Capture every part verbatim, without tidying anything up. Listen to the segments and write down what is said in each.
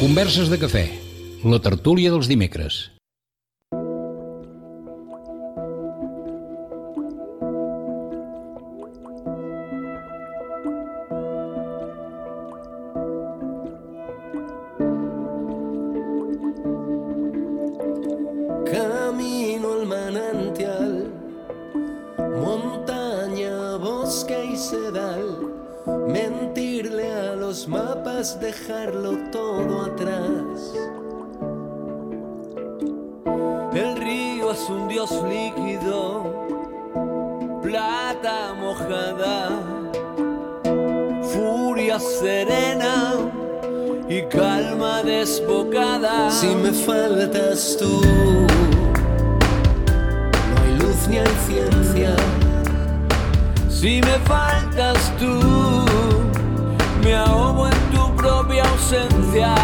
Converses de cafè, la tertúlia dels dimecres. Camino al manantial, montaña, bosque y sedal. Mentirle a los mapas, dejarlo todo atrás. El río es un dios líquido, plata mojada, furia serena y calma desbocada. Si me faltas tú, no hay luz ni hay ciencia. Si me faltas tú, me ahogo en tu propia ausencia.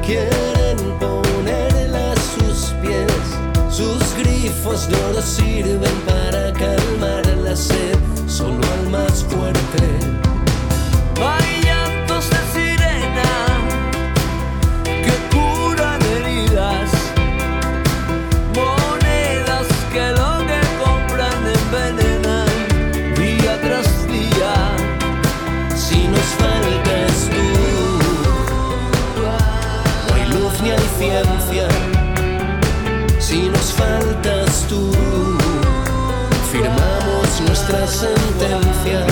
Quieren ponerla a sus pies, sus grifos de oro sirven para calmar la sed, solo al más fuerte. Hay llantos de sirena que curan heridas, monedas que lo que compran envenenan día tras día. Si nos faltas tú, ni hay ciencia. Si nos faltas tú, firmamos nuestra sentencia.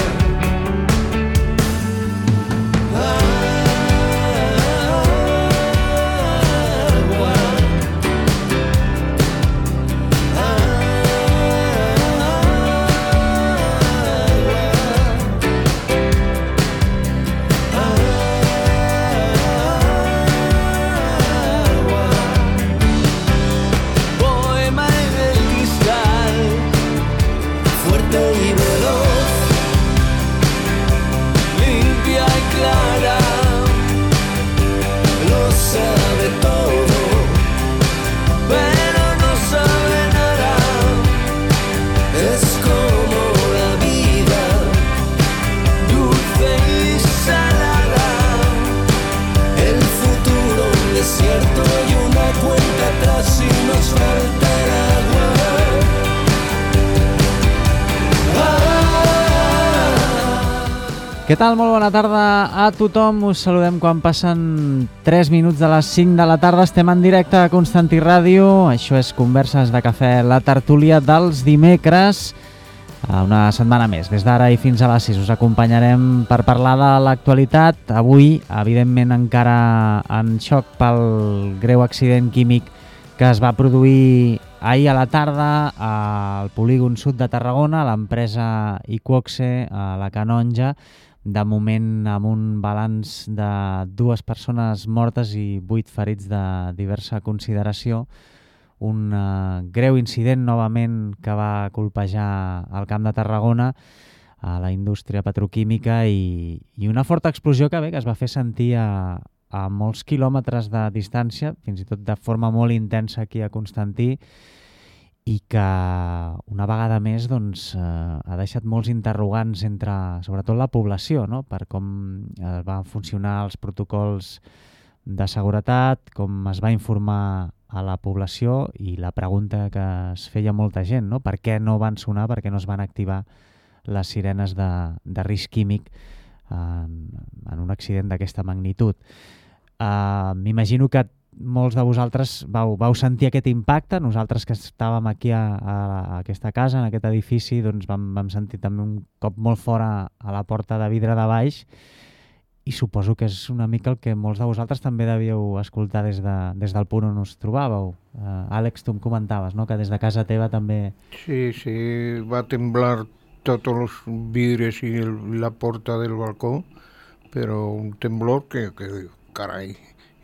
Què tal? Molt bona tarda a tothom. Us saludem quan passen tres minuts de les cinc de la tarda. Estem en directe a Constantí Ràdio. Això és Converses de Cafè, la tertúlia dels dimecres. Una setmana més, des d'ara i fins a les sis, us acompanyarem per parlar de l'actualitat. Avui, evidentment, encara en xoc pel greu accident químic que es va produir ahir a la tarda al polígon sud de Tarragona, a l'empresa Iqoxe, a la Canonja. De moment, amb un balanç de dues persones mortes i vuit ferits de diversa consideració. Un uh, greu incident, novament, que va colpejar el Camp de Tarragona, a la indústria petroquímica, i, i una forta explosió que, bé, que es va fer sentir a, a molts quilòmetres de distància, fins i tot de forma molt intensa aquí a Constantí, i que una vegada més doncs, eh, ha deixat molts interrogants entre, sobretot, la població, no? Per com eh, van funcionar els protocols de seguretat, com es va informar a la població, i la pregunta que es feia molta gent, no? Per què no van sonar, per què no es van activar les sirenes de, de risc químic en, en un accident d'aquesta magnitud? Uh, M'imagino que molts de vosaltres vau, vau sentir aquest impacte. Nosaltres que estàvem aquí a, a, a aquesta casa, en aquest edifici, doncs vam, vam sentir també un cop molt fora a la porta de vidre de baix, i suposo que és una mica el que molts de vosaltres també devíeu escoltar des, de, des del punt on us trobàveu. Uh, Àlex, tu em comentaves, no?, que des de casa teva també... Sí, sí, va temblar tots els vidres i el, la porta del balcó, però un temblor que, que carai,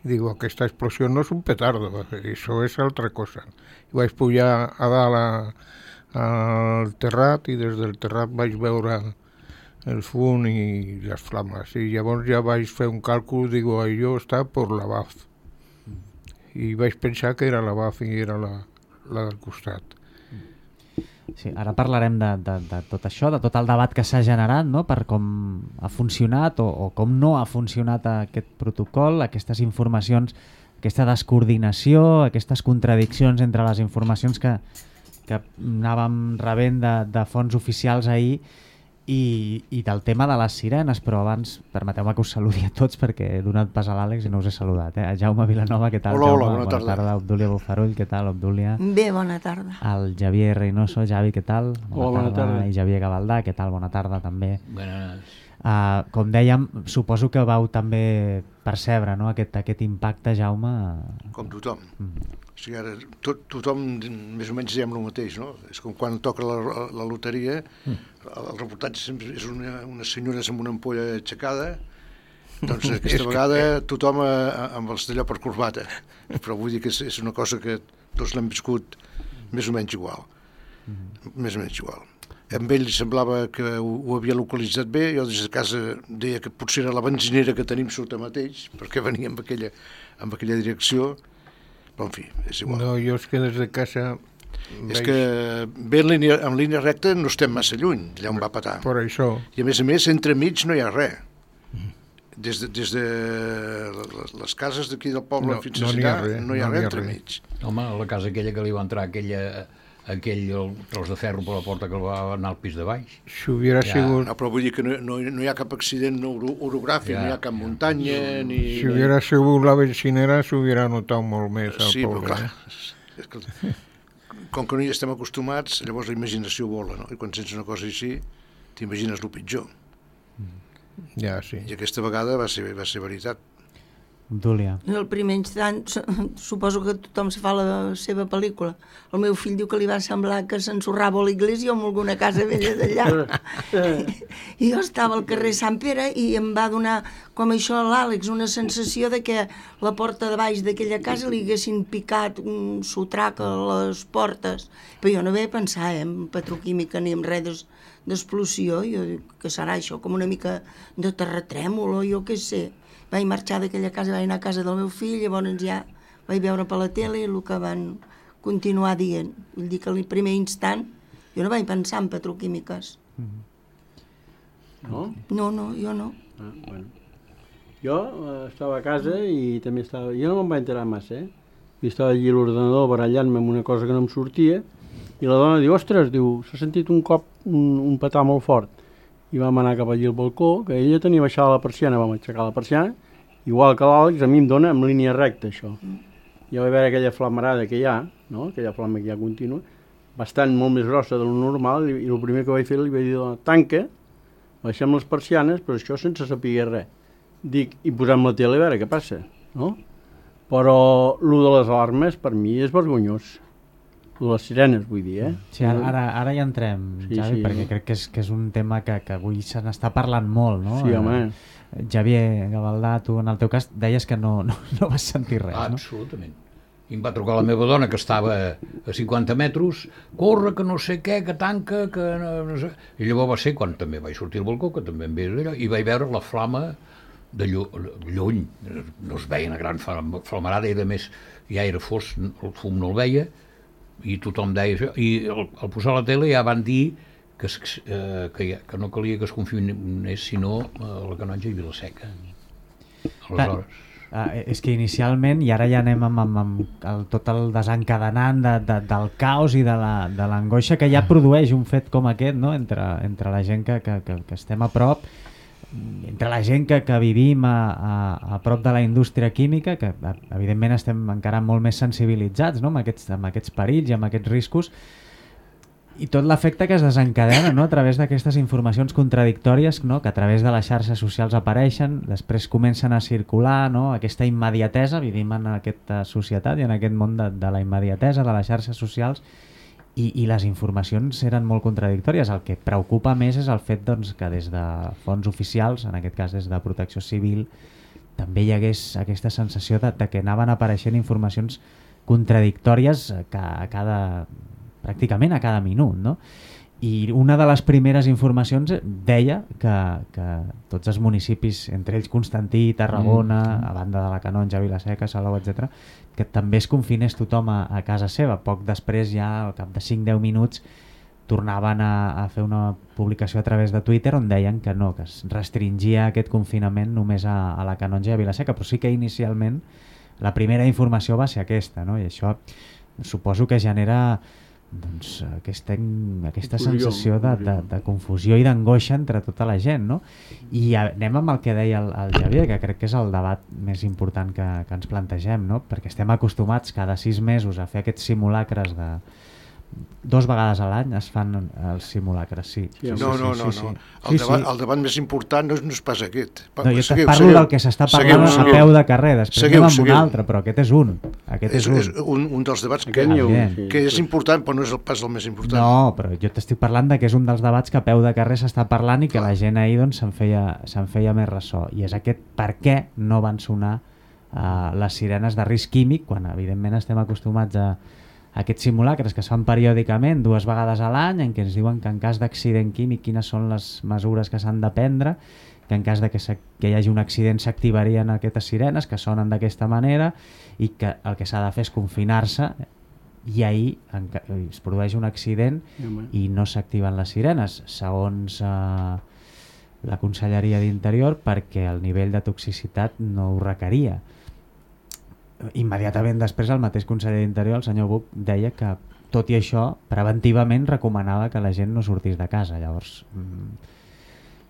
digo, aquesta explosió no és un petardo, això és altra cosa. I vaig pujar a dalt a, al terrat i des del terrat vaig veure el fum i les flames. I llavors ja vaig fer un càlcul, digo, allò està per la B A F. I vaig pensar que era la B A F i era la, la del costat. Sí, ara parlarem de, de, de tot això, de tot el debat que s'ha generat, no?, per com ha funcionat o, o com no ha funcionat aquest protocol, aquestes informacions, aquesta descoordinació, aquestes contradiccions entre les informacions que, que anàvem rebent de, de fonts oficials ahir, i, i del tema de les sirenes. Però abans permeteu-me que us saludi a tots, perquè he donat pas a l'Àlex i no us he saludat. Eh? Jaume Vilanova, què tal? Hola, Jaume? hola, bona, bona tarda. tarda. Obdúlia Bufarull, què tal, Obdúlia? Bé, bona tarda. El Javier Reynoso, Javi, què tal? Bona Hola, bona tarda. tarda. I Javier Gavaldà, què tal? Bona tarda també. Buenas. Uh, com dèiem, suposo que vau també percebre, no?, aquest, aquest impacte, Jaume. Com tothom. Mm. O sigui, ara tot, tothom més o menys diem el mateix, no? És com quan toca la, la loteria, mm. el reportatge sempre és una, una senyora amb una ampolla aixecada, doncs aquesta vegada tothom a, a, amb els d'allò per corbata. Però vull dir que és, és una cosa que tots l'hem viscut més o menys igual. Mm. Més o menys igual. Amb ell semblava que ho, ho havia localitzat bé, jo des de casa deia que potser era la benzinera que tenim sota mateix, perquè venia amb aquella, amb aquella direcció, però en fi, és igual. No, jo és que des de casa... És veig... que bé en línia, en línia recta no estem massa lluny, allà on va patar. Per això. I a més a més, entremig no hi ha res. Des de, des de les cases d'aquí del poble no, fins a no allà, res, no hi ha no res entremig. Home, la casa aquella que li va entrar, aquella... aquell tros de ferro per la porta que va anar al pis de baix. Si hubiera ja. sigut... No, però vull dir que no, no, no hi ha cap accident oro, orogràfic, ja. No hi ha cap muntanya, ja. Ni... Si hubiera sigut la benzinera, s'hubiera notat molt més al sí, poble. Però, clar, és que, com que no hi estem acostumats, llavors la imaginació vola, no? I quan sents una cosa així, t'imagines el pitjor. Ja, sí. I aquesta vegada va ser, va ser veritat. Dúlia. En el primer instant, suposo que tothom se fa la seva pel·lícula. El meu fill diu que li va semblar que s'ensorrava a l'església o en alguna casa vella d'allà. I jo estava al carrer Sant Pere i em va donar, com això a l'Àlex, una sensació de que la porta de baix d'aquella casa li haguessin picat un sotrac a les portes. Però jo no vaig pensar eh, en petroquímica ni en res d'explosió. Jo dic que serà això, com una mica de terratrèmol o jo què sé. Vaig marxar d'aquella casa, vaig anar a casa del meu fill, llavors ja vaig veure per la tele el que van continuar dient. Vull dir que al primer instant jo no vaig pensar en petroquímiques. No? No, no, jo no. Ah, bueno. Jo eh, estava a casa i també estava... Jo no me'n vaig enterar massa, eh? I estava allí a l'ordenador barallant-me amb una cosa que no em sortia i la dona diu, ostres, diu, s'ha sentit un cop un, un petar molt fort. I vam anar cap allí al balcó, que ella tenia baixada la persiana, vam aixecar la persiana, igual que l'Àlex, a mi em dona en línia recta, això. Ja vaig veure aquella flamarada que hi ha, no? Aquella flama que hi ha contínua, bastant molt més grossa de lo normal, i, i el primer que vaig fer li vaig dir, tanca, baixem les persianes, però això sense saber res. Dic, i posem la tele a veure què passa, no? Però lo de les alarmes, per mi, és vergonyós. Les sirenes, vull dir, eh? Sí, ara, ara hi entrem, sí, Javi, sí, perquè no? crec que és, que és un tema que, que avui se n'està parlant molt, no? Sí, home. Eh, Javier Gavaldà, tu en el teu cas deies que no, no, no vas sentir res, ah, no? Absolutament. I em va trucar la meva dona, que estava a cinquanta metres, corre, que no sé què, que tanca, que no, no sé... I llavors va ser quan també vaig sortir al balcó, que també em veia allò, i vaig veure la flama de lluny. No es veia una gran flamarada, i a més ja era fos, el fum no el veia, i tothom deia això, i al, al posar la tele ja van dir que, eh, que, ja, que no calia que es confinés sinó a la Canonja i Vilaseca. Aleshores... Ah, és que inicialment, i ara ja anem amb, amb, amb el, tot el desencadenant de, de, del caos i de l'angoixa que ja produeix un fet com aquest, no? entre, entre la gent que, que, que, que estem a prop, entre la gent que, que vivim a, a, a prop de la indústria química, que evidentment estem encara molt més sensibilitzats, no?, amb, aquests, amb aquests perills i amb aquests riscos, i tot l'efecte que es desencadena, no?, a través d'aquestes informacions contradictòries, no?, que a través de les xarxes socials apareixen, després comencen a circular, no?, aquesta immediatesa, vivim en aquesta societat i en aquest món de, de la immediatesa, de les xarxes socials, i, i les informacions eren molt contradictòries. El que preocupa més és el fet, doncs, que des de fons oficials, en aquest cas des de Protecció Civil, també hi hagués aquesta sensació de, de que anaven apareixent informacions contradictòries a cada, pràcticament a cada minut, no? I una de les primeres informacions deia que, que tots els municipis, entre ells Constantí, Tarragona, mm. a banda de la Canonja, Vila-seca, Salou, etcètera, que també es confinés tothom a, a casa seva. Poc després, ja al cap de cinc a deu minuts, tornaven a, a fer una publicació a través de Twitter on deien que no, que es restringia aquest confinament només a, a la Canonja i a Vila-seca, però sí que inicialment la primera informació va ser aquesta, no? I això suposo que genera doncs, aquesta, aquesta confusió, sensació de, de, de confusió i d'angoixa entre tota la gent, no? I anem amb el que deia el, el Javier, que crec que és el debat més important que, que ens plantegem, no? Perquè estem acostumats cada sis mesos a fer aquests simulacres de... Dos vegades a l'any es fan els simulacres, sí. sí, sí no, sí, no, sí, no. sí, no. sí. El, debat, sí. el debat més important no és, no és pas aquest. Pa, no, jo seguiu, parlo seguiu, del que s'està parlant seguiu, seguiu. a peu de carrer, després seguiu, anem amb seguiu. un altre, però aquest és un. Aquest és, és, un. és un, un dels debats que, un, que és important, però no és el pas el més important. No, però jo t'estic parlant de que és un dels debats que a peu de carrer s'està parlant i que Clar. la gent ahir doncs, se'n feia, se'n feia més ressò. I és aquest per què no van sonar uh, les sirenes de risc químic, quan evidentment estem acostumats a aquests simulacres que es fan periòdicament dues vegades a l'any, en què ens diuen que en cas d'accident químic quines són les mesures que s'han de prendre, que en cas de que, que hi hagi un accident s'activarien aquestes sirenes que sonen d'aquesta manera i que el que s'ha de fer és confinar-se i ahir en, es produeix un accident i no s'activen les sirenes, segons eh, la Conselleria d'Interior, perquè el nivell de toxicitat no ho requeria. Immediatament després el mateix conseller d'Interior, el senyor Buch, deia que tot i això preventivament recomanava que la gent no sortís de casa. Llavors mm,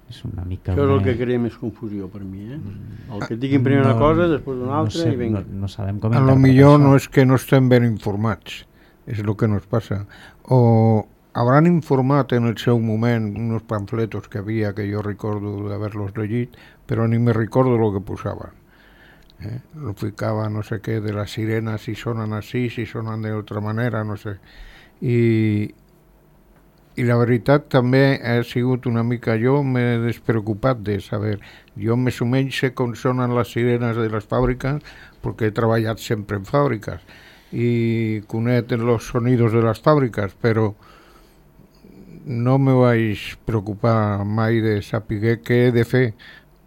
és una mica... Això és el que crea més confusió per mi, eh? El que et diguin primer no, una cosa, després una altra no sé, i vinga. No, no sabem com a lo millor no es que no estem ben informats, és el que nos passa. O hauran informat en el seu moment unos pamfletos que havia, que jo recordo d'haver-los llegit, però ni me recordo el que posaven. Eh? Lo ficaba no sé qué de las sirenas, si sonan así, si sonan de otra manera, no sé. I, i la veritat també ha sigut una mica, jo m'he despreocupat de saber, jo més o menys sé com sonen les sirenes de les fàbriques perquè he treballat sempre en fàbriques i conec els sonidos de les fàbriques, però no me vaig preocupar mai de saber què he de fer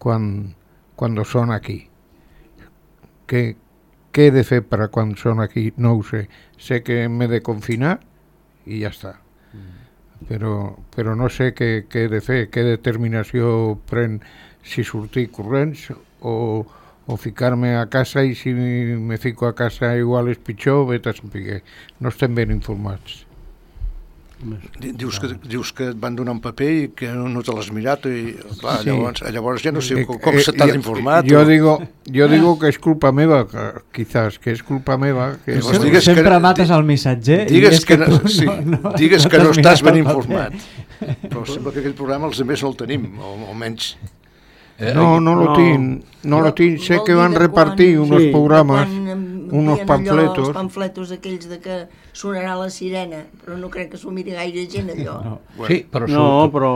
quan, quan són aquí. Què, què he de fer per quan són aquí? No ho sé. Sé que m'he de confinar i ja està. Mm. Però, però no sé què, què he de fer, què determinació pren, si sortir corrents o, o ficar-me a casa, i si me fico a casa igual és pitjor, vet a saber. No estem ben informats. Dius que, dius que et van donar un paper i que no, no te l'has mirat i clar, sí. llavors, llavors ja no sé com, com eh, se t'has informat. Jo, o... digo, jo digo que és culpa meva, que, quizás, que és culpa meva. Que no, sempre sempre que, mates el missatger digues i és que, que no, tu sí, no, no, digues no que no estàs ben informat. Però sembla que aquell programa els altres no el tenim, o almenys... Eh, no, no lo no. tinc, no lo tinc. Sé que van repartir quan, unos sí, programes, unos pamfletos. Els pamfletos aquells de que sonarà la sirena, però no crec que s'ho miri gaire gent allò. No. Bueno. Sí, però... No, però...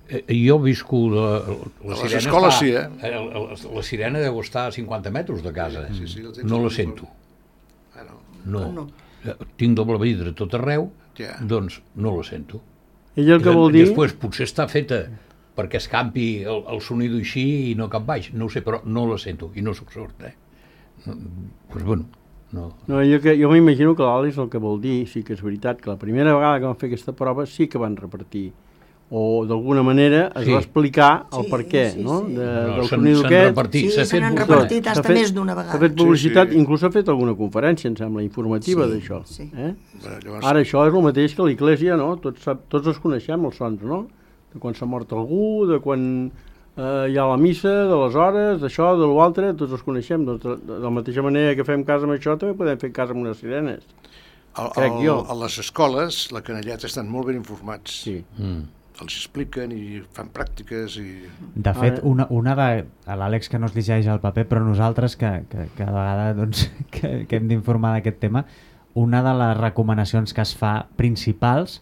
Eh, jo visco la, la a les sirena escoles està, sí, eh? La, la, la sirena deu estar a cinquanta metres de casa. Sí, sí, no la sento. Ah, no. No. no. Tinc doble vidre tot arreu, ja. Doncs no la sento. Ell el que vol dir... Després potser està feta perquè es campi el, el sonido així i no cap baix, no ho sé, però no la sento i no soc sord, eh? No, pues bueno, no. No, jo, que, jo m'imagino que l'Àlex el que vol dir, sí que és veritat, que la primera vegada que van fer aquesta prova sí que van repartir, o d'alguna manera es sí. va explicar el sí, per què, sí, no? sí. De, no del sonido aquest. Repartit, sí, se n'han repartit fins i més d'una vegada. S'ha fet publicitat, sí, sí. inclús s'ha fet alguna conferència, em sembla, informativa sí, d'això. Sí. Eh? Bé, llavors... Ara això és el mateix que l'Església, no? Tots, tots els coneixem, els sons, no? De quan s'ha mort algú, de quan eh, hi ha la missa, de les hores, d'això, de l'altre, tots els coneixem. Doncs de, de la mateixa manera que fem cas amb això, també podem fer cas amb unes sirenes. Al, Crec al, jo. a les escoles, la canalleta estan molt ben informats. Sí. Mm. Els expliquen i fan pràctiques i... De fet, una, una de... L'Àlex que no es llegeix el paper, però nosaltres que, que cada vegada doncs, que, que hem d'informar d'aquest tema, una de les recomanacions que es fa principals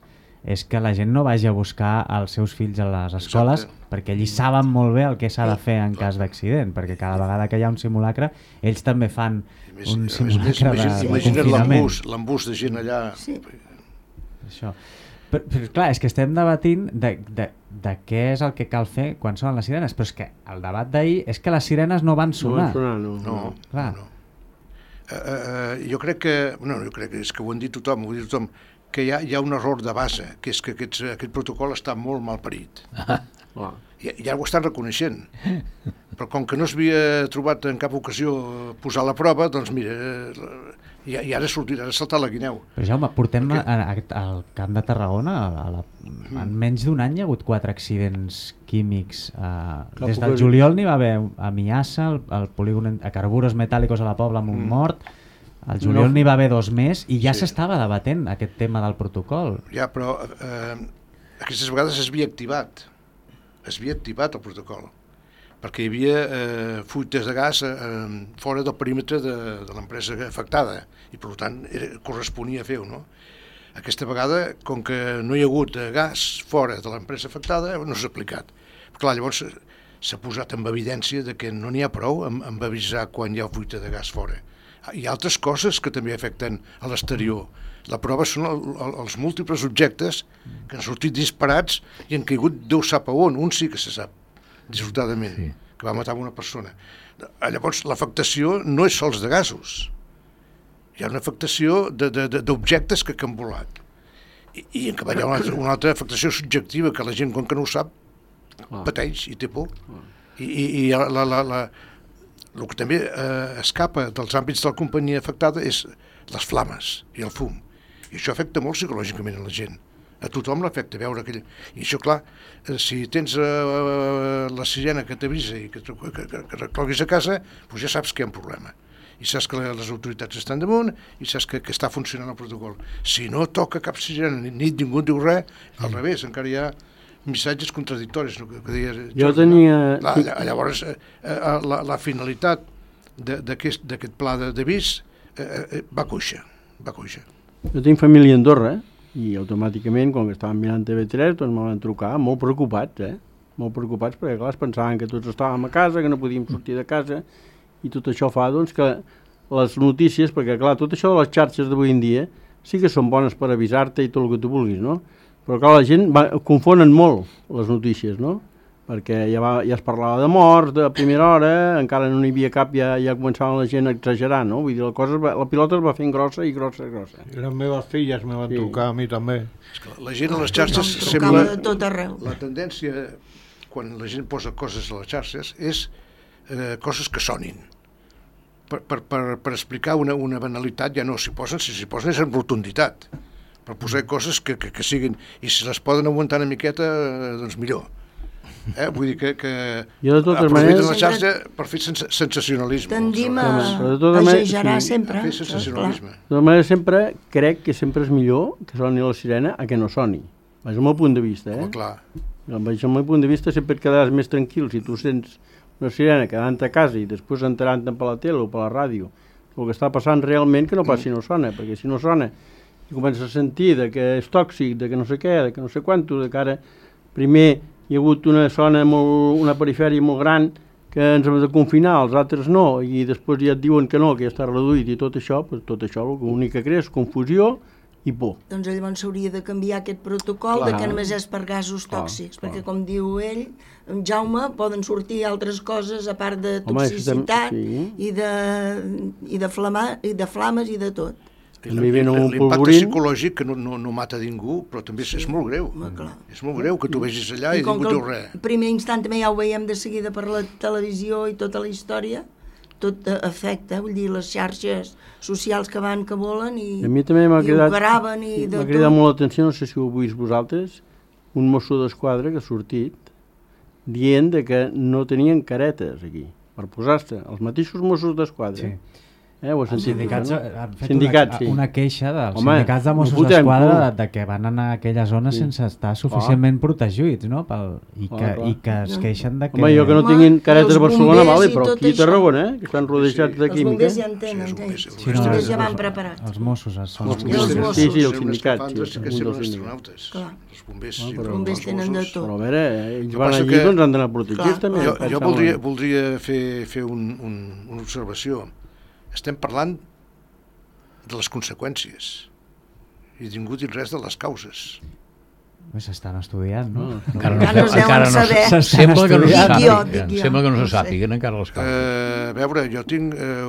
és que la gent no vagi a buscar els seus fills a les escoles. Exacte. Perquè allí saben molt bé el que s'ha de fer en cas d'accident, perquè cada vegada que hi ha un simulacre ells també fan més, un simulacre més, de, de imagina't confinament. l'embús, l'embús de gent allà. Sí. Això. Però, però clar, és que estem debatint de, de, de què és el que cal fer quan sonen les sirenes, però és que el debat d'ahir és que les sirenes no van No sonar. van sonar, no. No, Clar. no. Uh, uh, jo crec que, no, jo crec que és que ho han dit tothom, ho ha dit tothom, que hi ha, hi ha un error de base, que és que aquests, aquest protocol està molt mal parit. Clar. I, ja ho estan reconeixent. Però com que no s'havia trobat en cap ocasió posar a la prova, doncs mira, i, i ara sortirà, ara saltar la guineu. Però Jaume, portem Perquè... a, a, al Camp de Tarragona, a la, en menys d'un any hi ha hagut quatre accidents químics. Uh, des del juliol n'hi va haver a Miassa, al, al polígon a Carburos Metàl·licos a la Pobla amb un mm. mort, al juliol no. n'hi va haver dos més i ja s'estava sí. debatent aquest tema del protocol. Ja, però eh, aquestes vegades es havia activat, es havia activat el protocol, perquè hi havia eh, fuites de gas eh, fora del perímetre de, de l'empresa afectada i per tant era, corresponia fer-ho, no? Aquesta vegada, com que no hi ha hagut gas fora de l'empresa afectada, no s'ha aplicat. Clar, llavors s'ha posat en evidència de que no n'hi ha prou amb, amb avisar quan hi ha fuita de gas fora. Hi ha altres coses que també afecten a l'exterior. La prova són el, el, els múltiples objectes que han sortit disparats i han caigut Déu sap a on, un sí que se sap, dissortadament, sí. que va matar una persona. Llavors, l'afectació no és sols de gasos, hi ha una afectació d'objectes que, que han volat. I, i en canvi hi ha una altra, una altra afectació subjectiva que la gent, com que no ho sap, pateix i té por. I, i, i la, la, la, la, el que també eh, escapa dels àmbits de la companyia afectada és les flames i el fum. I això afecta molt psicològicament a la gent. A tothom l'afecta veure aquell... I això, clar, eh, si tens eh, la sirena que t'avisa i que, que, que, que recloguis a casa, doncs ja saps que hi ha un problema. I saps que les autoritats estan damunt i saps que, que està funcionant el protocol. Si no toca cap sirena, ni, ni ningú diu res, al revés, encara hi ha missatges contradictoris, no? que, que deia Jordi, jo tenia... No? La, llavors, eh, eh, la, la finalitat d'aquest pla d'avís eh, eh, va coixa, va coixa. Jo tinc família a Andorra, i automàticament, quan estàvem mirant T V tres, doncs me van trucar molt preocupats, eh? Molt preocupats, perquè clar, es pensaven que tots estàvem a casa, que no podíem sortir de casa, i tot això fa doncs, que les notícies, perquè clar, tot això de les xarxes d'avui en dia sí que són bones per avisar-te i tot el que tu vulguis, no? Però clar, la gent va, confonen molt les notícies, no? Perquè ja, va, ja es parlava de morts de primera hora, encara no n'hi havia cap, ja, ja començava la gent a exagerar, no? Vull dir, la, cosa va, la pilota es va fent grossa i grossa i grossa. I les meves filles me van sí. trucar a mi també. És que la gent a les xarxes no, sembla... de tot arreu. La tendència, quan la gent posa coses a les xarxes, és eh, coses que sonin. Per, per, per, per explicar una, una banalitat ja no s'hi posen, si s'hi posen és en rotunditat. Per posar coses que, que, que siguin... I si les poden aguantar una miqueta, eh, doncs millor. Eh? Vull dir que, que aprofiten maneres... la xarxa per fer sens sensacionalisme. Tendim a, a exagerar sí, sempre. A fer sensacionalisme. De tota manera, sempre crec que sempre és millor que soni la sirena a que no soni. És el meu punt de vista, eh? Home, clar. Des del meu punt de vista sempre et quedaràs més tranquil si tu sents una sirena quedant a casa i després enterant-te'n per la tele o per la ràdio el que està passant realment, que no passi si no sona, perquè si no sona i comences a sentir de que és tòxic, de que no sé què, de que no sé quanto, de que ara primer hi ha hagut una zona, molt, una perifèria molt gran que ens hem de confinar, els altres no, i després ja et diuen que no, que ja està reduït i tot això, pues tot això l'únic que crea és confusió i por. Doncs llavors s'hauria de canviar aquest protocol clar. De que només és per gasos tòxics, clar, perquè clar. Com diu ell, en Jaume, poden sortir altres coses a part de toxicitat. Home, sí. i, de, i, de flama, i de flames i de tot. L'impacte psicològic que no, no, no mata ningú, però també és, és molt greu. Home, és molt greu que tu vegis allà i, i ningú diu res. En primer instant també ja ho veiem de seguida per la televisió i tota la història, tot afecta, vull dir, les xarxes socials que van, que volen i, a mi també m'ha cridat, graven i de m'ha cridat molt l'atenció, no sé si ho heu vist vosaltres, un mosso d'esquadra que ha sortit dient de que no tenien caretes aquí, per posar-se, els mateixos Mossos d'Esquadra. Sí. Eh, ho has Els sentit? sindicats no? han fet Sindicats, una, sí. una queixa dels Home, sindicats de Mossos ho fotem, d'Esquadra tu. de, de que van anar a aquella zona Sí. sense estar suficientment protegits, no? Pel, i, Ah, que, clar. I que es queixen de que... Home, jo que no Home, tinguin i caretes els a Barcelona, bombers vale, i però tot aquí a això. Tarragona, eh, que estan rodejats de Els química. bombers ja en Sí, tenen, els bombers, ells. els Sí, no, Els bombers ja els- van preparats. Els Mossos són... Els Els bombers. bombers tenen- Mossos. Sí, sí, els tenen sindicats, escafandres, sí, que un semblen dels sindicats. astronautes. Clar. Els bombers, Ah, sí, però els bombers tenen de Mossos. tot. Però a veure, eh, ells Jo van penso allí, que- doncs han d'anar protegits Clar. també. Jo, em jo sembla. voldria, voldria fer, fer un, un, una observació. Estem parlant de les conseqüències i ningú diu res de les causes. Bé, s'estan estudiant, no? No. Encara no, Encara no es deuen encara no, saber. se- sembla que no se Dic jo, sàpiguen, dic jo. sembla que no No se sé. sàpiguen encara les causes. Eh, a veure, jo tinc eh,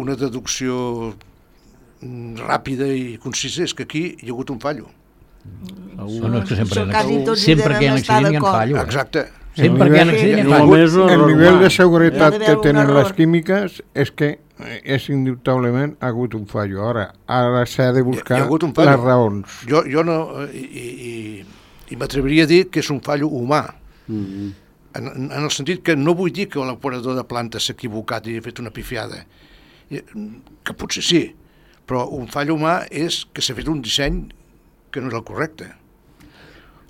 una deducció mm, ràpida i concisa, és que aquí hi ha hagut un fallo. No, no, és que sempre, Això quasi tots hi sempre que hi ha un devem estar accident hi ha un d'acord. fallo. eh? Exacte. Sempre que hi ha un accident hi ha un fallo. Només un El error nivell humà. de seguretat Hi ha d'haver que un tenen error. les químiques és que eh, és indubtablement ha hagut un fallo. Ara, ara s'ha de buscar Hi ha hagut un fallo. les raons. Jo, jo no... eh, I, i, i m'atreviria a dir que és un fallo humà. Mm. En, en el sentit que no vull dir que l'operador de planta s'ha equivocat i ha fet una pifiada. I, que potser sí, però un fall humà és que s'ha fet un disseny que no era el correcte.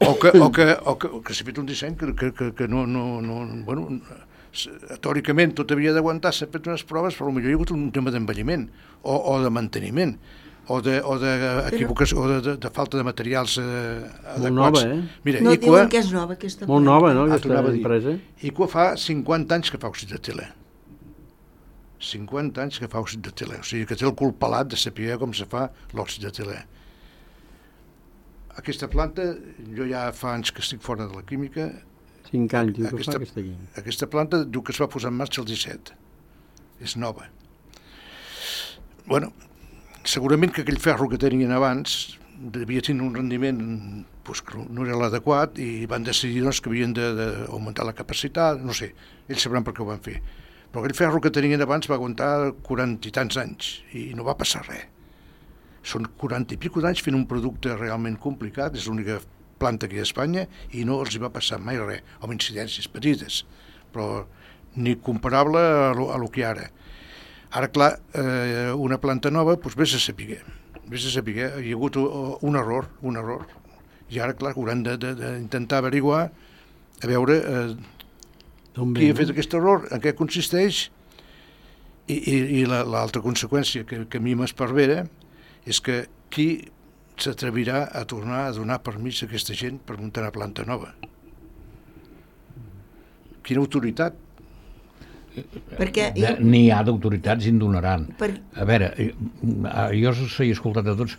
O que, o que, o que, o que s'ha fet un disseny que, que, que, que no, no, no... Bueno, teòricament tot havia d'aguantar, s'ha fet unes proves, però potser hi ha hagut un tema d'envelliment o, o de manteniment o de, o de equivocació o de, de, de falta de materials eh, adequats. nova, eh? Mira, No Iqua, diuen que és nova aquesta Molt planta. nova, no, Ah, aquesta tornava a dir. empresa? Iqua fa cinquanta anys que fa òxid de tele. cinquanta anys que fa òxid de tele. O sigui que té el cul pelat de saber com se fa l'òxid de tele. Aquesta planta, jo ja fa anys que estic fora de la química, Cinc anys, diu que Aquesta- fa aquesta aquí. aquesta planta diu que es va posar en marxa el disset. És nova. Bueno, segurament que aquell ferro que tenien abans devia tenir un rendiment pues, que no era l'adequat i van decidir doncs, que havien d'augmentar la capacitat, no sé, ells sabran per què ho van fer. Però aquell ferro que tenien abans va aguantar quaranta i tants anys i no va passar res. Són quaranta i pico d'anys fent un producte realment complicat, és l'única planta aquí a Espanya i no els hi va passar mai res, amb incidències petites, però ni comparable a lo, a lo que ara. Ara, clar, eh, una planta nova, doncs vés a saber, vés a saber, hi ha hagut un error, un error, i ara, clar, hauran d'intentar averiguar, a veure eh, D'on qui ve, ha fet no? aquest error, en què consisteix, i, i, i l'altra conseqüència que, que a mi m'esparvera és que qui s'atrevirà a tornar a donar permís a aquesta gent per muntar una planta nova. Quina autoritat? Perquè Eh, N'hi ha d'autoritats i en donaran. Per... A veure, eh, jo us he escoltat a tots,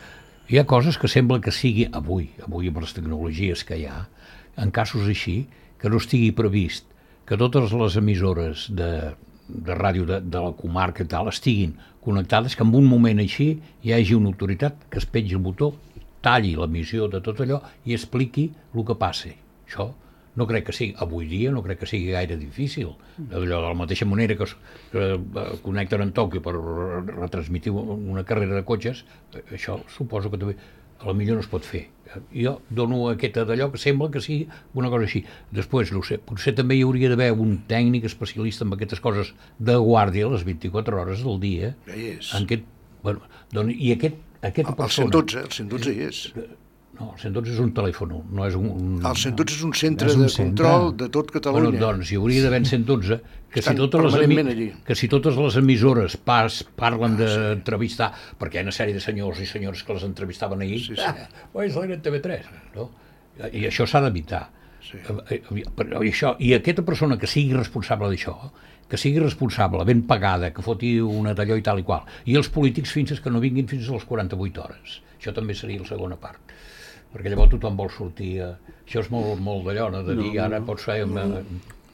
hi ha coses que sembla que sigui avui, avui amb les tecnologies que hi ha, en casos així, que no estigui previst que totes les emissores de, de ràdio de, de la comarca i tal estiguin connectades, que en un moment així hi hagi una autoritat que es pengi el botó, talli l'emissió de tot allò i expliqui el que passi. Això no crec que sigui, avui dia no crec que sigui gaire difícil. Allò de la mateixa manera que es que connecten en Tòquio per retransmitir una carrera de cotxes, això suposo que també a la millor no es pot fer. Jo dono aquesta d'allò que sembla que sigui una cosa així. Després, no sé, potser també hi hauria d'haver un tècnic especialista en aquestes coses de guàrdia les vint-i-quatre hores del dia. Ja hi és. En aquest, bueno, doncs, i aquest, aquesta El, el persona... cent dotze, el cent dotze hi és. No, el cent dotze és un telèfon, no és un... un El cent dotze és un centre és un de centre. control de tot Catalunya. Bueno, doncs hi hauria d'haver en cent dotze que si, Estan totes les permanentment emi... allí. que si totes les emissores pas parlen d'entrevistar, perquè hi ha una sèrie de senyors i senyores que les entrevistaven ahir, Sí, sí. ah, és l'N T V tres, no? I això s'ha d'evitar. Sí. I, i, això, I aquesta persona que sigui responsable d'això, que sigui responsable, ben pagada, que foti una d'allò i tal i qual, i els polítics fins que no vinguin fins a les quaranta-vuit hores. Això també seria la segona part. Perquè llavors tothom vol sortir a... Això és molt, molt d'allò, no? De dir, No, no. ara pots fer... Una...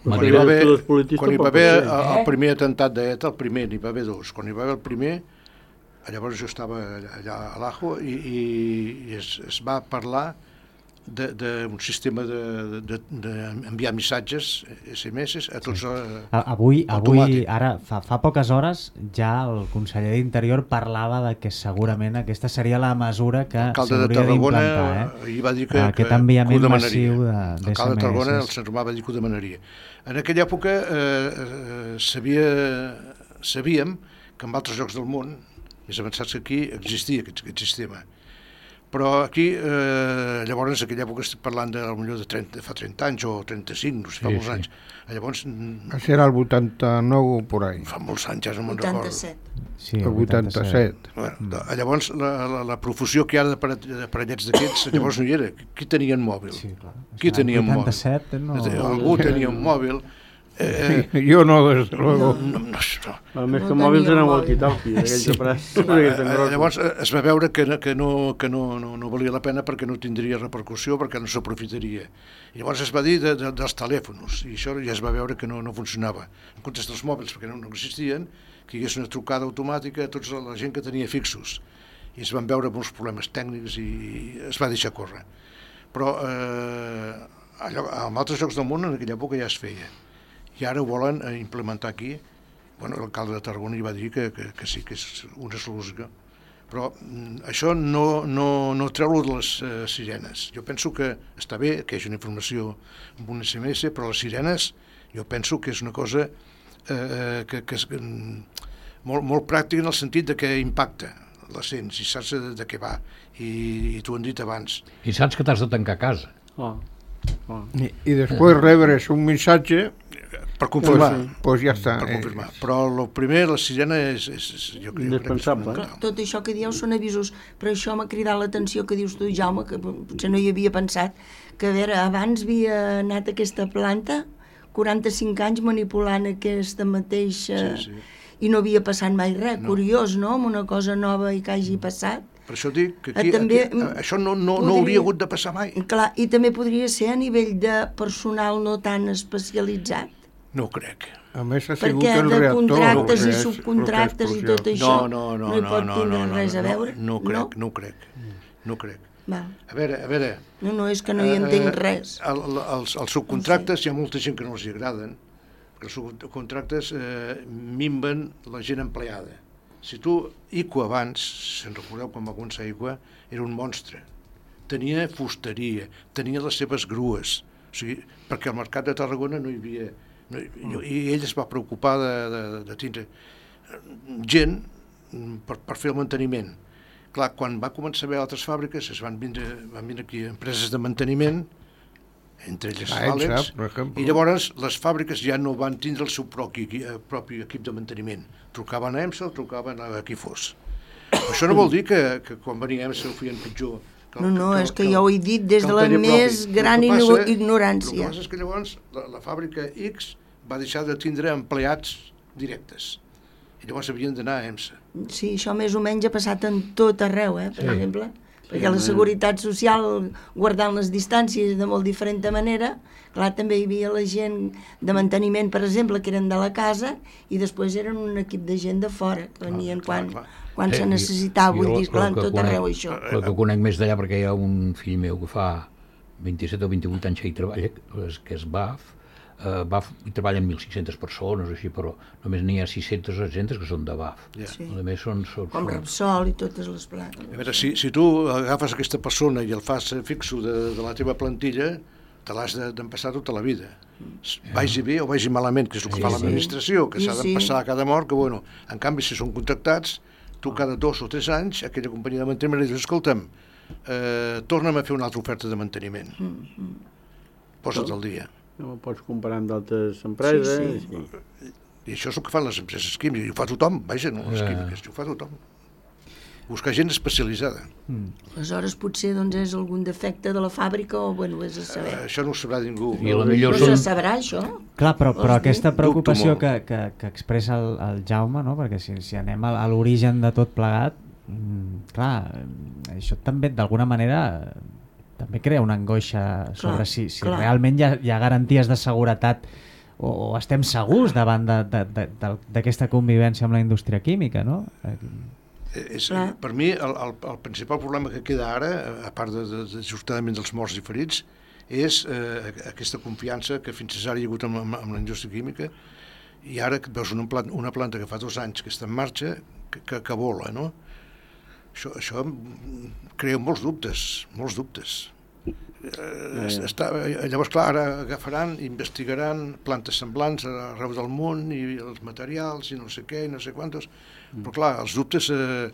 Quan hi Madrid. va haver, Els politistes quan hi va tampoc haver pot ser. el, el primer atemptat d'ETA, el primer, n'hi va haver dos. Quan hi va haver el primer, llavors jo estava allà, allà a l'Ajo i, i, i es, es va parlar d'un sistema d'enviar missatges, esse eme esse, a tots... Sí. A, avui, avui automàtic. ara, fa, fa poques hores, ja el conseller d'Interior parlava de que segurament aquesta seria la mesura que s'hauria d'implantar. Eh? Ahir va dir que, Aquest que, enviament que ho massiu de, d'esse eme esse. L'alcalde de Tarragona, el Sant Romà, va dir que ho demanaria. En aquella època eh, eh, sabia, sabíem que en altres llocs del món, més avançats que aquí, existia aquest, aquest sistema. Però aquí, eh, llavors, en aquella època estic parlant de, potser de, trenta, de fa trenta anys o trenta-cinc, no sé, fa sí, molts sí. anys. Llavors... Serà el vuitanta-nou o por ahí. Fa molts anys, ja no me'n recordo. vuitanta-set. Sí, el vuitanta-set. Bueno, llavors, la, la, la profusió que hi ha d'aparellets d'aquests, llavors no hi era. Qui tenia un mòbil? Sí, clar. Qui tenia un mòbil? vuitanta-set, no... Algú tenia un mòbil. Eh, jo no, des de luego. No, no, no. A més No que mòbils eren tenia walkie-talkie, aquells Sí. aparats. Eh, Llavors eh, es va veure que, que, no, que no, no, no valia la pena perquè no tindria repercussió, perquè no s'aprofitaria. I llavors es va dir de, de, dels telèfons, i això ja es va veure que no, no funcionava. En comptes dels mòbils, perquè no, no existien, que hi hagués una trucada automàtica a tota la gent que tenia fixos. I es van veure molts problemes tècnics i es va deixar córrer. Però eh, allò, en altres llocs del món en aquella època ja es feia. I ara ho volen implementar aquí. Bueno, l'alcalde de Tarragona hi va dir que, que, que sí, que és una solució. Però mm, això no, no, no treu-lo de les eh, sirenes. Jo penso que està bé que hi hagi una informació amb un esse eme esse, però les sirenes jo penso que és una cosa eh, que, que és mm, molt, molt pràctica en el sentit de que impacta. La sents i saps de, de què va. I, i t'ho han dit abans. I saps que t'has de tancar a casa. Oh. Oh. I, i després rebres un missatge, Per confirmar. pues, pues ja està. Per confirmar. Però el primer, la sirena és... és, és jo, jo crec que és Indispensable. fonamental. Tot això que dieu són avisos, però això m'ha cridat l'atenció que dius tu, Jaume, que potser no hi havia pensat, que a veure, abans havia anat aquesta planta, quaranta-cinc anys manipulant aquesta mateixa... Sí, sí. I no havia passat mai res, No. curiós, no?, amb una cosa nova i que hagi passat. Per això dic que aquí, Eh, també, aquí eh, això no, no, podria- no hauria hagut de passar mai. Clar, i també podria ser a nivell de personal no tan especialitzat, No ho crec. A més ha sigut perquè el de reactor. contractes el que i és- subcontractes el i que és tot explosiu. això No, no, no, hi no, pot no, tindre no, no, res a no, veure. No ho crec, no ho crec. No ho crec. Val. A veure, a veure... No, no, és que no hi entenc eh, res. El, el, els, els subcontractes, hi ha molta gent que no els hi agraden, perquè els subcontractes eh, minven la gent empleada. Si tu, Iqua abans, si en recordeu quan va començar Iqua, era un monstre. Tenia fusteria, tenia les seves grues, o sigui, perquè al mercat de Tarragona no hi havia... No, i, i ell es va preocupar de, de, de tindre gent per, per fer el manteniment. Clar, quan va començar a haver altres fàbriques, es van vindre, van vindre aquí empreses de manteniment, entre elles Ah, Alex, Elsa, per exemple. i llavors les fàbriques ja no van tindre el seu propi, propi equip de manteniment. Trucaven a EMSA o trucaven a qui fos. Això no vol dir que, que quan venia EMSA ho feien pitjor. Que, No, no, és que jo ho he dit des de la més gran ignorància. El que passa és que llavors la, la fàbrica X va deixar de tindre empleats directes. I llavors havien d'anar a EMSA. Sí, això més o menys ha passat en tot arreu, eh, per Sí. exemple. Perquè la Seguretat Social, guardant les distàncies de molt diferent manera, clar, també hi havia la gent de manteniment, per exemple, que eren de la casa, i després eren un equip de gent de fora, que venien clar, quan, clar. quan Eh, se i- necessitava, i vull el- dir, clar, el en que tot conec- arreu això. El que conec més d'allà, perquè hi ha un fill meu que fa vint-i-set o vint-i-vuit anys que hi treballa, que és B A F, eh, B A F hi treballen mil cinc-centes persones, així, però només n'hi ha sis-centes o set-centes que són de B A F. Ja. Sí. A més són... són, Com són Repsol i totes les planes. A veure, si, si tu agafes aquesta persona i el fas fixo de, de la teva plantilla, te l'has de- d'empassar tota la vida. Vagi bé o vagi malament, que és el que Sí, fa sí. l'administració, que Sí, s'ha sí. d'empassar a cada mort, que bueno, en canvi si són contractats, tu cada dos o tres anys, aquella companyia de manteniment li dius, escolta'm, eh, torna'm a fer una altra oferta de manteniment. Posa't al dia. No ho pots comparar amb d'altres empreses. Sí, Sí. I això és el que fan les empreses químiques, i ho fa tothom, vaja, no les Ja. químiques, ho fa tothom. Buscar gent especialitzada. Aleshores potser doncs, és algun defecte de la fàbrica o, bueno, és a Eh, saber. això no ho sabrà ningú. I a la millor No se són... sabrà, això? Clar, però, però Vols dir? aquesta preocupació Dubto que, que, que expressa el, el Jaume, no? Perquè si, si anem a, a l'origen de tot plegat, mm, clar, eh, això també d'alguna manera eh, també crea una angoixa sobre Clar, si, si clar. realment hi ha, hi ha garanties de seguretat o, o estem segurs davant de- de- de- de- d'aquesta convivència amb la indústria química, no? Eh, És, per mi, el, el, el principal problema que queda ara, a part de, de, de justament dels morts i ferits, és eh, aquesta confiança que fins ara hi ha hagut amb, amb, amb la indústria química, i ara que veus una planta, una planta que fa dos anys que està en marxa, que, que, que vola, no? Això, això crea molts dubtes, molts dubtes. Eh, està, llavors, clar, ara agafaran, investigaran plantes semblants arreu del món i els materials i no sé què i no sé quantos, però clar, els dubtes eh,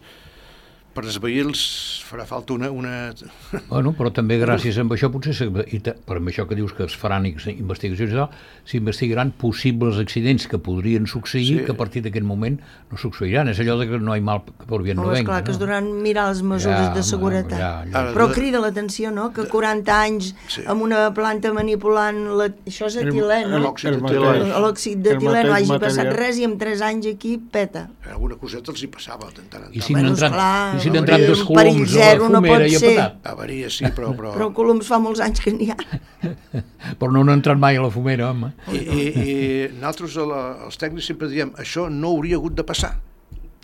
per esvair-los farà falta una... una... Bueno, però també gràcies a això potser, i per això que dius que es faran investigacions i tal, s'investigaran possibles accidents que podrien succeir, sí. que a partir d'aquest moment no succeiran. És allò de que no hi mal que per bien no, no venga. Clar, no? que es duran mirar les mesures ja, de seguretat. Ja, ja. Però crida l'atenció, no?, que quaranta anys sí. amb una planta manipulant... La... Això és etilè, no? L'òxid d'etilè no hagi passat res i en tres anys aquí peta. Alguna coseta els hi passava de tant en tant. I si no entrat... Si n'han entrat dos coloms a la fumera i ha petat. Avaria, sí, però... Però, però coloms fa molts anys que n'hi ha. Però no han entrat mai a la fumera, home. I, i, i nosaltres, els tècnics, sempre diem això no hauria hagut de passar.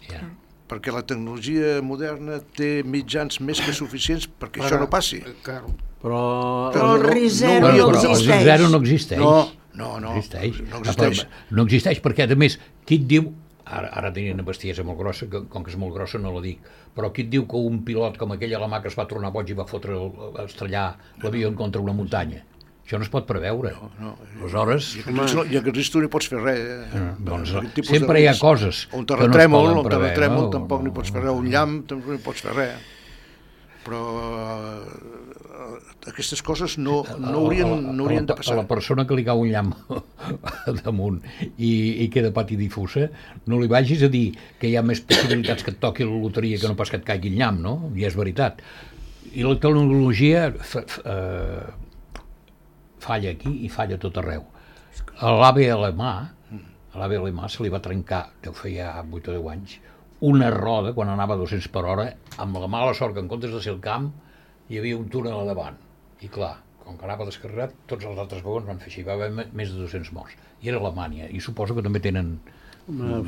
Yeah. Perquè la tecnologia moderna té mitjans més que suficients perquè però, això no passi. Però, però el risc zero no, no, no existeix. El zero no existeix. No, no, no. Existeix. No existeix. No existeix perquè, a més, qui et diu... Ara, ara tenien una bestiesa molt grossa, que, com que és molt grossa no la dic, però qui et diu que un pilot com aquell alemà que es va tornar boig i va fotre, a estrellar l'avió contra una muntanya? Això no es pot preveure. No, no. Aleshores... I aquest risc tu no pots fer res. Eh? No, doncs sempre hi ha coses un que no es poden preveure. Un terratrèmol no? tampoc no hi pots fer res, un llamp tampoc no hi pots fer res. Però uh, aquestes coses no, no, haurien, no haurien de passar. A la persona que li cau un llamp damunt i, i queda pati difusa, no li vagis a dir que hi ha més possibilitats que et toqui la loteria que no pas que et caigui el llamp, no? I és veritat. I la tecnologia fa, fa, uh, falla aquí i falla tot arreu. A l'AVE alemà, a l'AVE alemà se li va trencar, deu fer ja vuit o deu anys, una roda, quan anava a dos-cents per hora, amb la mala sort que en comptes de ser el camp, hi havia un túnel a davant. I clar, com que anava descarregat, tots els altres vagons van fer així, va haver més de dos-cents morts. I era Alemanya, i suposo que també tenen...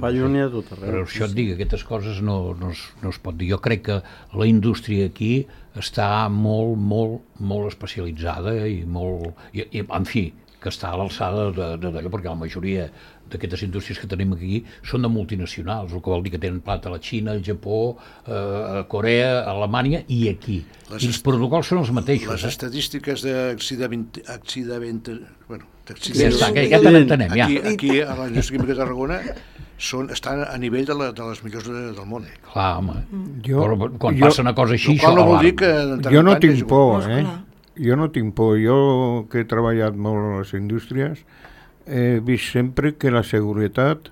Fallo n'hi ha tot arreu. Però això et dic, aquestes coses no, no, es, no es pot dir. Jo crec que la indústria aquí està molt, molt, molt especialitzada i molt... I, i, en fi, que està a l'alçada d'allò, perquè la majoria d'aquestes indústries que tenim aquí són de multinacionals, el que vol dir que tenen planta a la Xina, al Japó, a Corea, a Alemanya i aquí. Les I els protocols són els mateixos. Les eh? estadístiques d'accident... Bueno, ja està, que ja te n'entenem, ja. Aquí, aquí a la indústria química de Tarragona són, estan a nivell de, la, de les millors de, del món. Clar, home. Jo, Però quan jo, passa una cosa així, això no vol dir que... Jo no tinc por, eh? Jo no tinc por. Jo, que he treballat molt a les indústries, he vist sempre que la seguretat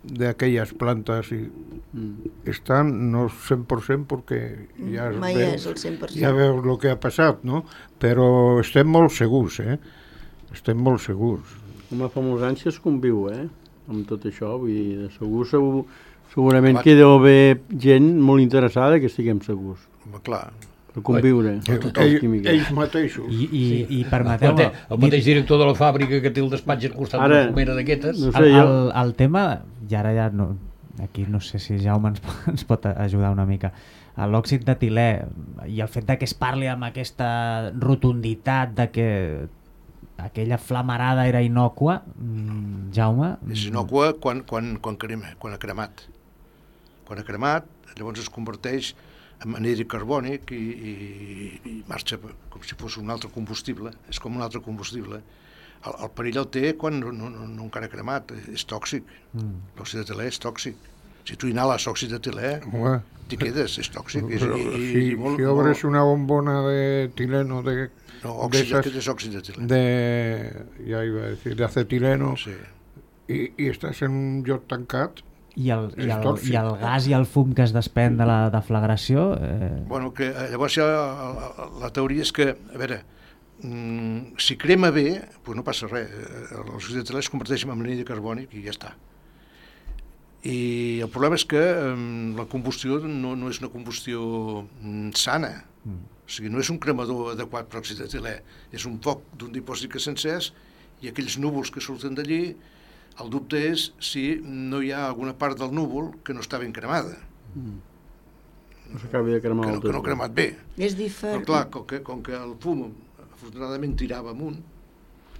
d'aquelles plantes i mm. estan no cent per cent perquè ja mai veus, és el cent per cent. Ja veus el que ha passat, no? Però estem molt segurs, eh? Estem molt segurs. Home, fa molts anys que es conviu, eh? Amb tot això, vull dir, de segur, segur segurament que deu haver gent molt interessada que estiguem segurs. Home, clar. Per conviure. Ells, ells mateixos. I, i, i permeteu-me... El mateix director de la fàbrica que té el despatx al costat de la fumera d'aquestes. No sé, el, el, el tema, i ara ja no, aquí no sé si Jaume ens, ens pot ajudar una mica, l'òxid d'etilè i el fet de que es parli amb aquesta rotunditat de que aquella flamarada era innòcua, Jaume... És innòcua quan, quan, quan, crema, quan ha cremat. Quan ha cremat, llavors es converteix en anhídrid carbònic i, i, i marxa com si fos un altre combustible, és com un altre combustible. El, el perill el té quan no, no, no encara ha cremat, és tòxic. Mm. L'òxid d'etilè és tòxic. Si tu inhales òxid d'etilè, t'hi quedes, és tòxic. És, Però, i, si, i molt, si obres molt... una bombona d'etileno de... No, òxid, de és òxid d'etilè. De, ja iba a decir, de acetileno, sí. i, i estàs en un lloc tancat, I el, i, el, i el gas i el fum que es despèn de la deflagració... Eh... Bueno, que llavors ja la, la teoria és que, a veure, mm, si crema bé, doncs no passa res. L'òxid d'etilè es converteix en anhídrid carbònic i ja està. I el problema és que mm, la combustió no, no és una combustió mm, sana. Mm. O sigui, no és un cremador adequat per òxid d'etilè. És un foc d'un dipòsit que s'encès i aquells núvols que surten d'allí. El dubte és si no hi ha alguna part del núvol que no està ben cremada. Mm. No s'acabi de cremar que el no, que no ha cremat bé. És Però diferent. clar, com que, com que el fum afortunadament tirava amunt,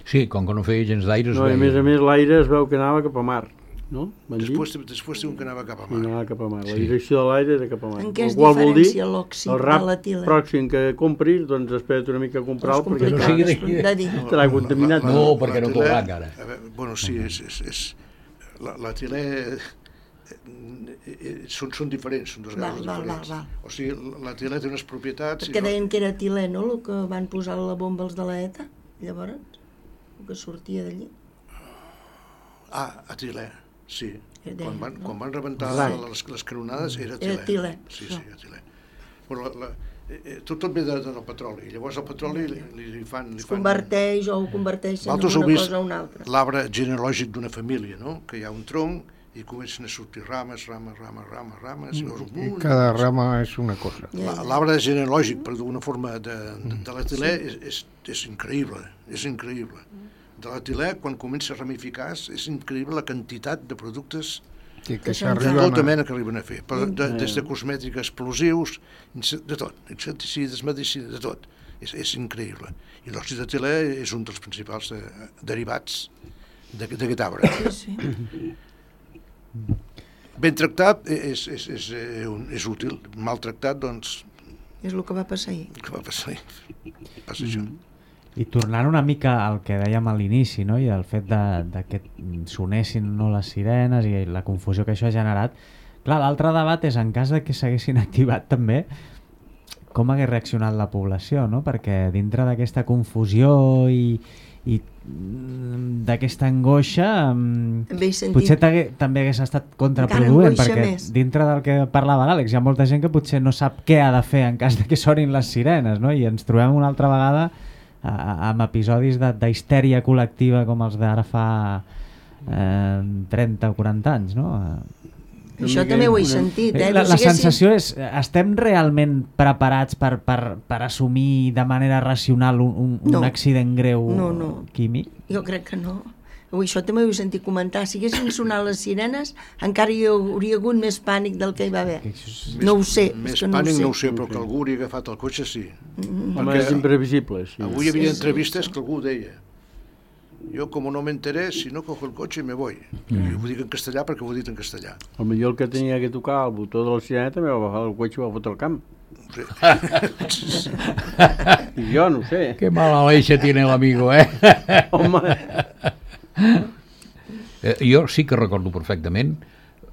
Sí, com que no feia gens d'aire es No, i a veia. més a més l'aire es veu que anava cap a mar, no? Van dir? després, després diuen que anava cap a I mar. anava cap a mar. La Sí. direcció de l'aire era cap a mar. En què es El qual vol dir, diferencia l'òxid el de rap l'etilè? pròxim que compris, doncs espera't una mica a comprar-lo És perquè no complicat sigui de, de- de dir. estarà contaminat. No, perquè no l'etilè- corrà encara. a veure, Bueno, sí, és... és, és la- L'etilè eh, eh, són, són diferents, són dos Val, gasos val, diferents. val, val. O sigui, l'etilè té unes propietats... Perquè i no- deien que era etilè, no?, el que van posar a la bomba els de la E T A, llavors, el que sortia d'allí. Ah, etilè, sí. Era Quan van, no? quan van rebentar Right. les, les canonades era etilè. Era etilè, Sí, això. sí, etilè. Però la, la, eh, eh, tot, tot ve de, del petroli. Llavors el petroli li, li, li fan... Li Es fan converteix o ho converteixen en Vosaltres heu una vist cosa o una altra. l'arbre genealògic d'una família, no? Que hi ha un tronc i comencen a sortir rames, rames, rames, rames, rames, i veus un I munt. cada rama és una cosa. Ja, La- ja. L'arbre genealògic, per d'alguna forma, de, de, de l'etilè és, és, és increïble, és increïble. De l'etilè, quan comença a ramificar, és increïble la quantitat de productes Que, Que que se'n de Arriben tota s'arriben a... mena que arriben a fer, però de, des de cosmètics explosius, de tot, insecticides, medicina, de tot. És, és increïble. I l'òxid d'etilè és un dels principals de, derivats d'aquest d'aquest arbre. Sí, sí. Ben tractat és, és, és, és, un- és útil, mal tractat, doncs, És el que va passar ahir. què va passar? Passa això. I tornant una mica al que dèiem a l'inici, no? I el fet de, de que sonessin no les sirenes i la confusió que això ha generat, clar, l'altre debat és en cas de que s'haguessin activat també com hagués reaccionat la població, no? Perquè dintre d'aquesta confusió i, i mm, d'aquesta angoixa mm, També he sentit. potser t'hagué- també hagués estat contraproduent, angoixa perquè més. dintre del que parlava l'Àlex hi ha molta gent que potser no sap què ha de fer en cas de que sonin les sirenes, no? I ens trobem una altra vegada a- amb episodis de- d'histèria col·lectiva com els d'ara fa eh, trenta o quaranta anys, no? Això també ho he sentit, eh? La, No la siguessin- sensació és, estem realment preparats per, per, per assumir de manera racional un, un, un No. accident greu No, no. químic? Jo crec que no. Ui, això també ho he sentit comentar. Si haguessin sonat les sirenes, encara hi hauria hagut més pànic del que hi va haver. No ho sé, és Més que no ho pànic sé. no ho sé, però que algú hauria agafat el cotxe, sí. Home, Perquè és imprevisible, sí. Avui hi havia Sí, sí, entrevistes sí. que algú deia: jo, como no me enteré, si no cojo el cotxe me voy. I ho dic en castellà perquè ho he dit en castellà. El millor el que tenia que tocar el botó de la sirena també va agafar el cotxe i va fotre al camp. Sí. I jo no ho sé. Qué mala leche tiene el amigo, eh? Home, Eh, jo sí que recordo perfectament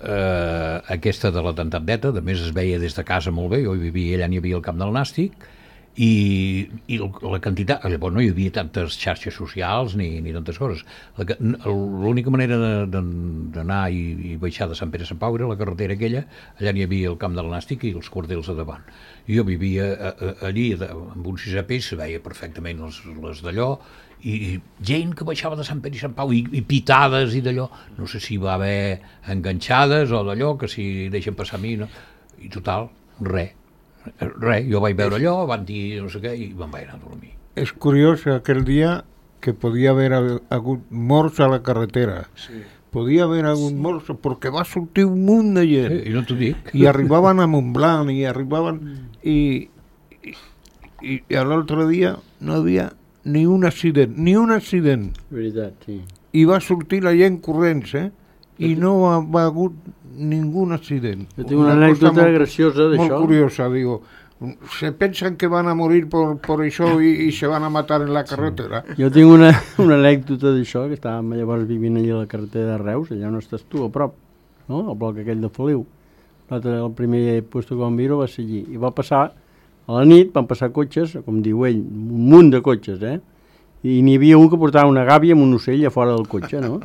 eh, aquesta de l'atemptat d'Eta, a més es veia des de casa molt bé, jo hi vivia, allà n'hi havia el camp del Nàstic, i, i la quantitat, llavors no hi havia tantes xarxes socials ni, ni tantes coses. La que- L'única manera de- de- d'anar i, i baixar de Sant Pere a Sant Pau era la carretera aquella, allà n'hi havia el camp del Nàstic i els cordels a davant. I jo vivia a, a, allí de, amb un sisè pis, se veia perfectament les, les d'allò, i, i gent que baixava de Sant Pere i Sant Pau i, i pitades i d'allò, no sé si va haver enganxades o d'allò, que si deixen passar a mi, no? I total, res, res, jo vaig veure allò, van dir no sé què i me'n vaig anar a dormir. És curiós aquell dia que podia haver hagut morts a la carretera. Sí. Podia haver hagut morts perquè va sortir un munt de gent. Eh, I no t'ho dic. I arribaven a Montblanc i arribaven i, i, i l'altre dia no havia ni un accident, ni un accident. veritat, sí. I va sortir la gent corrents, eh? I no ha, va hagut ningú accident. Jo tinc una anècdota cosa molt- graciosa d'això. Molt curiosa, digo. Se pensan que van a morir por, por això i, i se van a matar en la carretera. Jo tinc una, una anècdota d'això, que estàvem llavors vivint allà a la carretera de Reus, allà on estàs tu, a prop, no? El bloc aquell de Feliu. L'altre, el primer puesto que vam viure va ser allí. I va passar, a la nit, van passar cotxes, com diu ell, un munt de cotxes, eh? I n'hi havia un que portava una gàbia amb un ocell a fora del cotxe, no?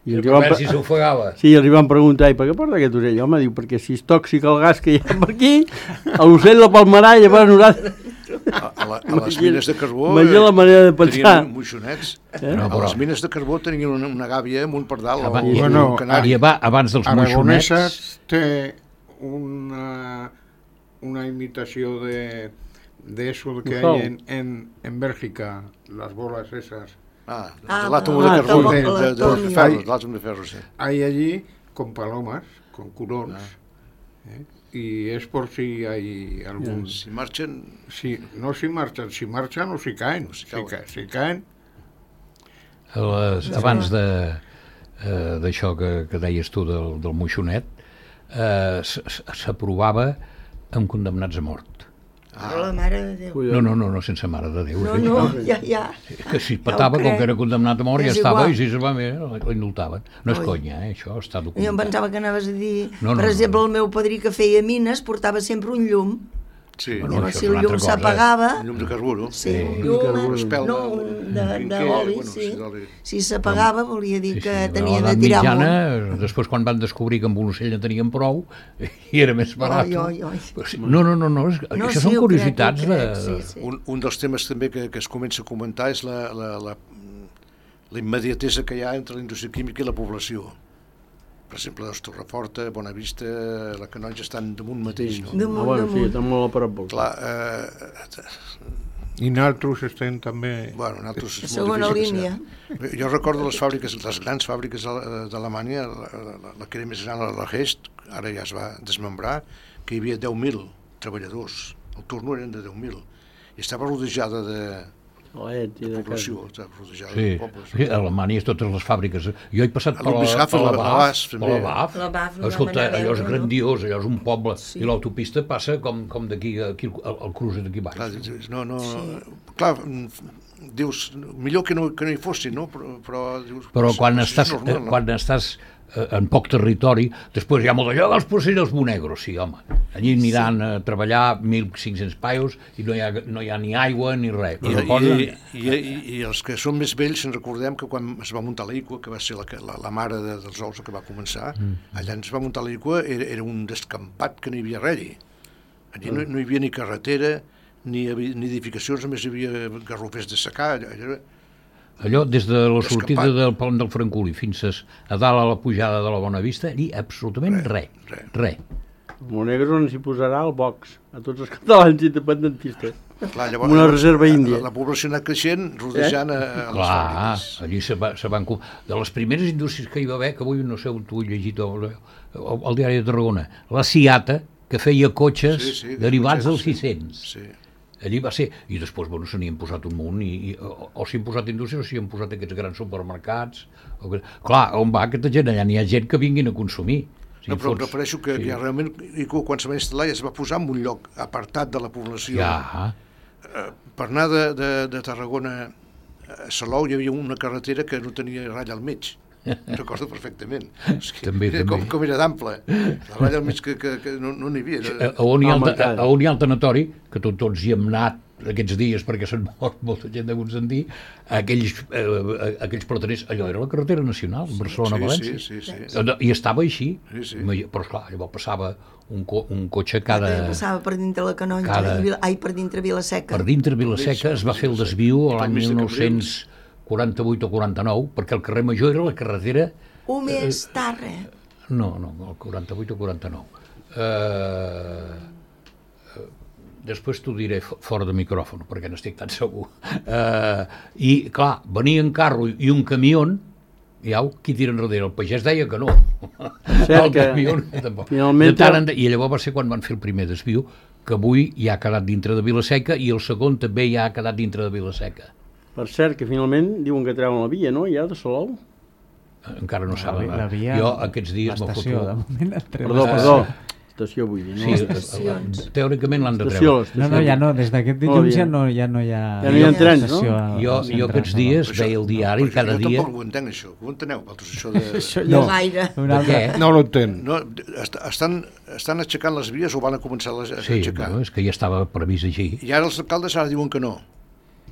I els hi A van, veure pre- si s'ofegava. sí, els hi van preguntar, i per què porta aquest ocell? Home, diu, perquè si és tòxic el gas que hi ha per aquí, l'ocell la palmarà i llavors nosaltres... A, a, la, a les mines de carbó Imagina la manera de pensar. tenien moixonets. Eh? No, A però- les mines de carbó tenien una, una gàbia amb un pardal o Abans- un Bueno, canari. I aba- abans dels moixonets... Aragoneses té una, una imitació de, de eso que Ujau. hay en, en, en Bélgica, las bolas esas. Ah, Ah, de l'àtom ah, de carbó, sí, de, de, de, l'atòmium. de ferro, de l'àtom de ferro, sí. Hay allí con palomas, con curones. ¿eh? y es por si hay algún... Si marxen... Si, no si marxen, si marxen o si caen. Si, cauen. ca, si caen... Les, abans de eh, d'això que, que deies tu del, del moixonet, eh, s'aprovava amb condemnats a mort. Però la mare de Déu. No, no, no, no sense mare de Déu. No, eh? no, ja, ja. Que si patava, com que era condemnat a mort, ja És estava, igual. i si se va bé, l'indultaven. No és Oi. conya, eh? Això està Jo em documentat. pensava que anaves a dir... No, no, per no, exemple, no. el meu padrí que feia mines portava sempre un llum. Sí, Bueno, Llavors, això si és el una llum altra cosa. s'apagava... un llum de carburo. Sí, Sí. un llum... Una espelma, no, un de, quinquer, d'oli, bueno, sí. sí, d'oli. Si s'apagava volia dir Sí, sí, que a tenien de l'edat tirar mitjana, amunt. després quan van descobrir que amb un ocell en tenien prou, i era més barat. Oi, oi, oi. Però sí, No, no, no, no, és, No, això sí, són ho curiositats crec, ho de... crec, sí, sí. Un, un dels temes també que, que es comença a comentar és la, la, la, la immediatesa que hi ha entre la indústria química i la població. Per exemple, doncs, Torreforta, Bonavista, la Canonja estan damunt mateix, no? Damunt, Ah, bueno, sí, damunt. estan molt a prop. Clar, eh, I nosaltres estem també... bueno, nosaltres és molt Segona difícil línia. pensar. Jo recordo les fàbriques, les grans fàbriques de- d'Alemanya, la, la, la que era més gran, la Hest, ara ja es va desmembrar, que hi havia deu mil treballadors. El turno eren de deu mil. I estava rodejada de, Let i de de casa. població, estava rodejada Sí, de pobles. sí, a Alemanya totes les fàbriques. Jo he passat A per la, Ludwigshafen, per la la- la B A F, Bas, per també. la B A F. La B A F no Escolta, vam anar a allò és veure, no? grandiós, allò és un poble. Sí. I l'autopista passa com, com d'aquí, aquí, el, el cruce d'aquí baix. Clar, dius, no, no, clar, mm, dius, millor que no, que no hi fossin, no? Però, però, dius, Però és- quan és estàs, normal, eh, no? quan estàs eh, en poc territori, després hi ha molt d'allò dels porcells monegros, sí, home. Allí aniran a treballar mil cinc-cents paios i no hi ha, no hi ha ni aigua ni res. I, Però i, posen- i, i, I els que són més vells ens recordem que quan es va muntar la I C U A, que va ser la, que- la, la mare de, dels ous que va començar, mm. allà ens va muntar la I C U A, era, era un descampat que no hi havia res allí. Allí no, no hi havia ni carretera, ni, havi- ni edificacions, només hi havia garrofers de secà. Allò, allò, Allò, des de la sortida Descampat. del pont del Francolí fins a, a dalt a la pujada de la Bonavista, allí absolutament res, res. res. Monegros on s'hi posarà el Vox, a tots els catalans independentistes. clar, Com una reserva índia. La, la població ha anat creixent, rodejant eh? a, a les Clar, fàbriques. allí se, va, se van... co- De les primeres indústries que hi va haver, que avui no sé on tu ho he llegit al, al, al diari de Tarragona, la Ciata, que feia cotxes Sí, sí, derivats dels sí. sis-cents. Sí. Allí va ser, i després, bueno, se n'hi han posat un munt, i, i, o, o s'hi han posat indústries, o s'hi han posat aquests grans supermercats. O que, clar, on va aquesta gent? Allà n'hi ha gent que vinguin a consumir. Si No, però em fots- refereixo que, sí. que ja realment I C U A, quan se va instal·lar, ja es va posar en un lloc apartat de la població. Ja, Eh, per anar de, de, de Tarragona a Salou hi havia una carretera que no tenia ratlla al mig. Recordo perfectament. És que També, era com, també. com era d'ample. La ratlla al mig que, que, que no no n'hi havia. a, No, a, on hi ha el, Home, a, encara. a on hi ha el tanatori, que tot, tots hi hem anat aquests dies perquè s'han mort molta gent de Gonzantí, aquells, eh, aquells plataners, allò era la carretera nacional, Barcelona-València. sí, sí, sí, sí. I estava així, Sí, sí. però esclar, llavors passava un, co un cotxe cada... També passava per dintre la Canonja, cada- i Vila- ai, per dintre Vilaseca. Per dintre Vilaseca es va fer el desviu I pel l'any mig de mil nou-cents quaranta-vuit o quaranta-nou, perquè el carrer Major era la carretera... Un més tarre. No, no, el quaranta-vuit o quaranta-nou. Eh... Després t'ho diré fo- fora de micròfon, perquè n'estic tan segur. Eh, I, clar, venia en carro i un camió, i au, qui tira enrere? El pagès deia que no. Cert que, camió, tampoc. finalment, De tant en tant- I llavors va ser quan van fer el primer desviu, que avui ja ha quedat dintre de Vilaseca, i el segon també ja ha quedat dintre de Vilaseca. per cert, que finalment diuen que treuen la via, no?, ja, de Salou. Encara no La, saben. la via, Jo aquests dies m'ho l'estació, de foto. moment et treu Perdó, l'estació. perdó. Estació, vull dir, no? Sí, estacions. eh, teòricament l'han de Estació, treure. l'estació. No, no, ja no, des d'aquest No, dilluns ja- ja no, ja no hi ha... Ja no hi ha trens, no? estació al- Jo, al jo centre aquests de dies Això- veia el diari perquè cada jo dia... tampoc ho entenc, això. Ho enteneu, vosaltres, això de... Això No ja... gaire. Un De altre... què? No l'entenc. No, est estan, estan aixecant les vies o van a començar a les- a Sí, aixecar? bueno, és que ja estava previst així. I ara els alcaldes ara diuen que no.